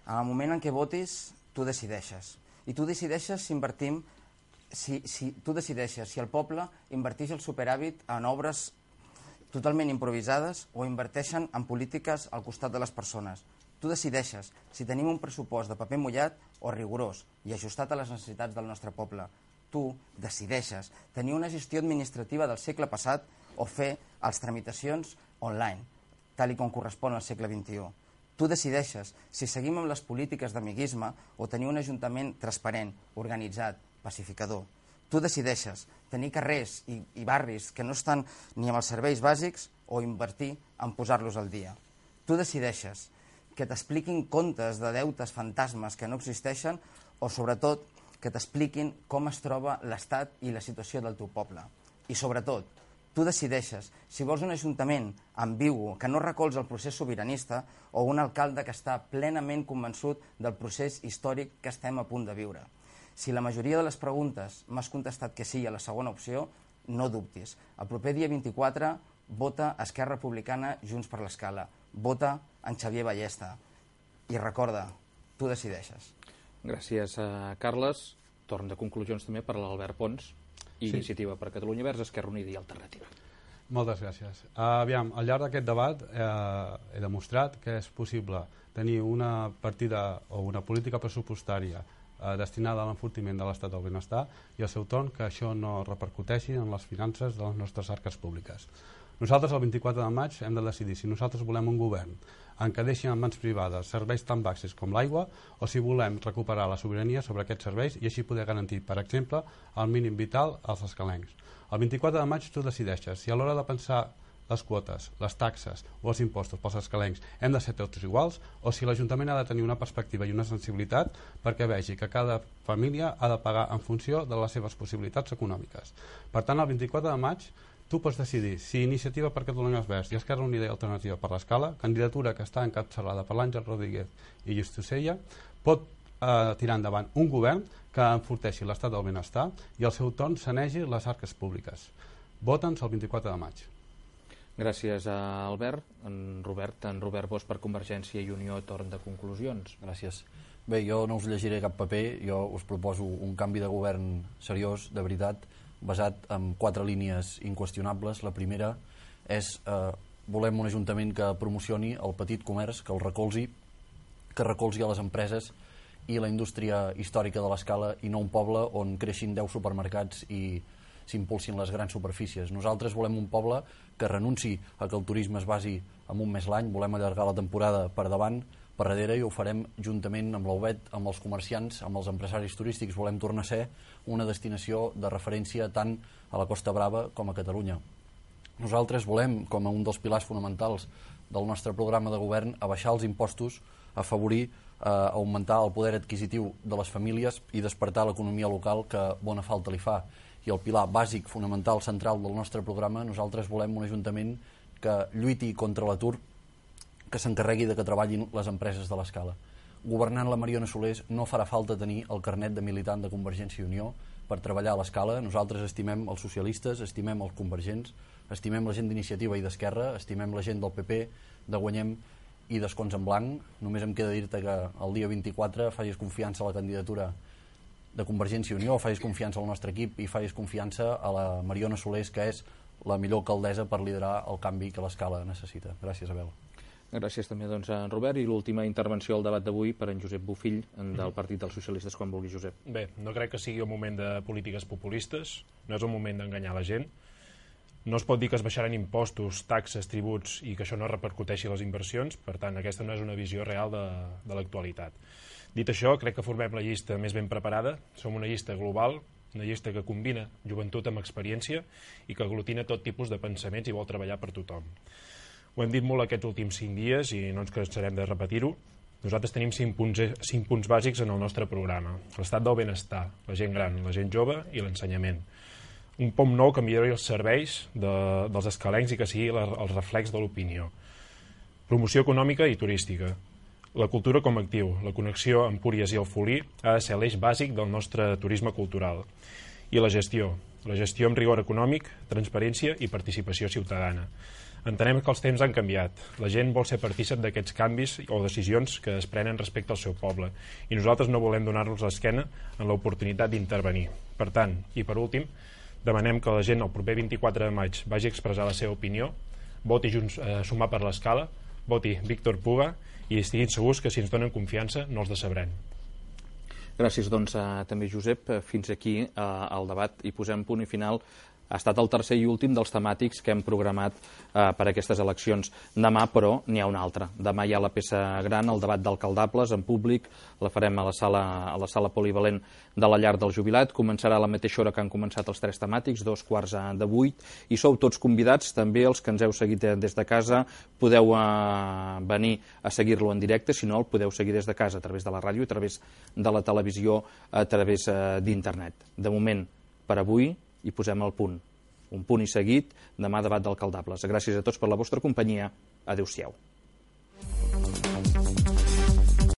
En el moment en què votis, tu decideixes. I tu decideixes si invertim, si, si tu decideixes si el poble inverteix el superàvit en obres totalment improvisades o inverteixen en polítiques al costat de les persones. Tu decideixes si tenim un pressupost de paper mullat o rigorós i ajustat a les necessitats del nostre poble. Tu decideixes tenir una gestió administrativa del segle passat o fer les tramitacions online, tal i com correspon al segle vint-i-u. Tu decideixes si seguim amb les polítiques d'amiguisme o tenir un ajuntament transparent, organitzat, pacificador. Tu decideixes tenir carrers i, i barris que no estan ni amb els serveis bàsics o invertir en posar-los al dia. Tu decideixes que t'expliquin comptes de deutes fantasmes que no existeixen o, sobretot, que t'expliquin com es troba l'estat i la situació del teu poble. I, sobretot, tu decideixes si vols un ajuntament ambigu que no recolza el procés sobiranista o un alcalde que està plenament convençut del procés històric que estem a punt de viure. Si la majoria de les preguntes m'has contestat que sí a la segona opció, no dubtis. El proper dia vint-i-quatre vota Esquerra Republicana, Junts per l'Escala. Vota en Xavier Ballesta. I recorda, tu decideixes. Gràcies a Carles. Torn de conclusions també per a l'Albert Pons. Sí. Iniciativa per Catalunya Verds, Esquerra Unida i Alternativa. Moltes gràcies. Uh, aviam, al llarg d'aquest debat uh, he demostrat que és possible tenir una partida o una política pressupostària uh, destinada a l'enfortiment de l'estat del benestar i al seu torn que això no repercuteixi en les finances de les nostres arques públiques. Nosaltres el vint-i-quatre de maig hem de decidir si nosaltres volem un govern en què deixin en mans privades serveis tan bàsics com l'aigua o si volem recuperar la sobirania sobre aquests serveis i així poder garantir, per exemple, el mínim vital als escalencs. El vint-i-quatre de maig tu decideixes si a l'hora de pensar les quotes, les taxes o els impostos pels escalencs hem de ser tots iguals o si l'Ajuntament ha de tenir una perspectiva i una sensibilitat perquè vegi que cada família ha de pagar en funció de les seves possibilitats econòmiques. Per tant, el vint-i-quatre de maig tu pots decidir si Iniciativa per Catalunya Verds i Esquerra Unida i Alternativa per l'Escala, candidatura que està encapçalada per l'Àngel Rodríguez i Justusella, pot eh, tirar endavant un govern que enforteixi l'estat del benestar i al seu torn sanegi les arques públiques. Vota'ns el vint-i-quatre de maig. Gràcies a Albert. En Robert, en Robert Bosch per Convergència i Unió, torn de conclusions. Gràcies. Bé, jo no us llegiré cap paper, jo us proposo un canvi de govern seriós, de veritat, basat en quatre línies inqüestionables. La primera és eh, volem un ajuntament que promocioni el petit comerç, que el recolzi, que recolzi a les empreses i la indústria històrica de l'Escala i no un poble on creixin deu supermercats i s'impulsin les grans superfícies. Nosaltres volem un poble que renunci a que el turisme es basi en un mes l'any, volem allargar la temporada per davant, per darrere, i ho farem juntament amb l'U B E T, amb els comerciants, amb els empresaris turístics. Volem tornar a ser una destinació de referència tant a la Costa Brava com a Catalunya. Nosaltres volem, com a un dels pilars fonamentals del nostre programa de govern, abaixar els impostos, afavorir, eh, augmentar el poder adquisitiu de les famílies i despertar l'economia local que bona falta li fa. I el pilar bàsic, fonamental, central del nostre programa, nosaltres volem un ajuntament que lluiti contra l'atur, que s'encarregui de que treballin les empreses de l'Escala. Governant la Mariona Solés no farà falta tenir el carnet de militant de Convergència i Unió per treballar a l'Escala. Nosaltres estimem els socialistes, estimem els convergents, estimem la gent d'Iniciativa i d'Esquerra, estimem la gent del P P, de Guanyem i d'escons en blanc. Només em queda dir-te que el dia vint-i-quatre facis confiança a la candidatura de Convergència i Unió, facis confiança al nostre equip i facis confiança a la Mariona Solés, que és la millor alcaldessa per liderar el canvi que l'Escala necessita. Gràcies, Abel. Gràcies també doncs, a en Robert, i l'última intervenció al debat d'avui per en Josep Bofill, del Partit dels Socialistes, quan vulgui, Josep. Bé, no crec que sigui el moment de polítiques populistes, no és el moment d'enganyar la gent. No es pot dir que es baixaran impostos, taxes, tributs i que això no repercuteixi les inversions, per tant, aquesta no és una visió real de, de l'actualitat. Dit això, crec que formem la llista més ben preparada, som una llista global, una llista que combina joventut amb experiència i que aglutina tot tipus de pensaments i vol treballar per tothom. Ho hem dit molt aquests últims cinc dies i no ens cansarem de repetir-ho. Nosaltres tenim cinc punts, cinc punts bàsics en el nostre programa. L'estat del benestar, la gent gran, la gent jove i l'ensenyament. Un pom nou que millori els serveis de, dels escalencs i que sigui la, el reflex de l'opinió. Promoció econòmica i turística. La cultura com a actiu, la connexió amb Púries i el Folí ha de ser l'eix bàsic del nostre turisme cultural. I la gestió. La gestió amb rigor econòmic, transparència i participació ciutadana. Entenem que els temps han canviat. La gent vol ser partícip d'aquests canvis o decisions que es prenen respecte al seu poble i nosaltres no volem donar-los l'esquena en l'oportunitat d'intervenir. Per tant, i per últim, demanem que la gent el proper vint-i-quatre de maig vagi a expressar la seva opinió, voti Junts eh, Sumar per l'Escala, voti Víctor Puga i estiguin segurs que si ens donen confiança no els decebrem. Gràcies doncs a, també Josep. Fins aquí eh, el debat i posem punt i final. Ha estat el tercer i últim dels temàtics que hem programat eh, per a aquestes eleccions. Demà, però, n'hi ha un altre. Demà hi ha la peça gran, el debat d'alcaldables en públic, la farem a la sala, a la sala polivalent de la Llar del Jubilat. Començarà a la mateixa hora que han començat els tres temàtics, dos quarts de vuit, i sou tots convidats, també els que ens heu seguit des de casa, podeu eh, venir a seguir-lo en directe, si no el podeu seguir des de casa, a través de la ràdio, a través de la televisió, a través eh, d'internet. De moment, per avui, i posem el punt. Un punt i seguit, demà debat d'alcaldables. Gràcies a tots per la vostra companyia. Adéu-siau.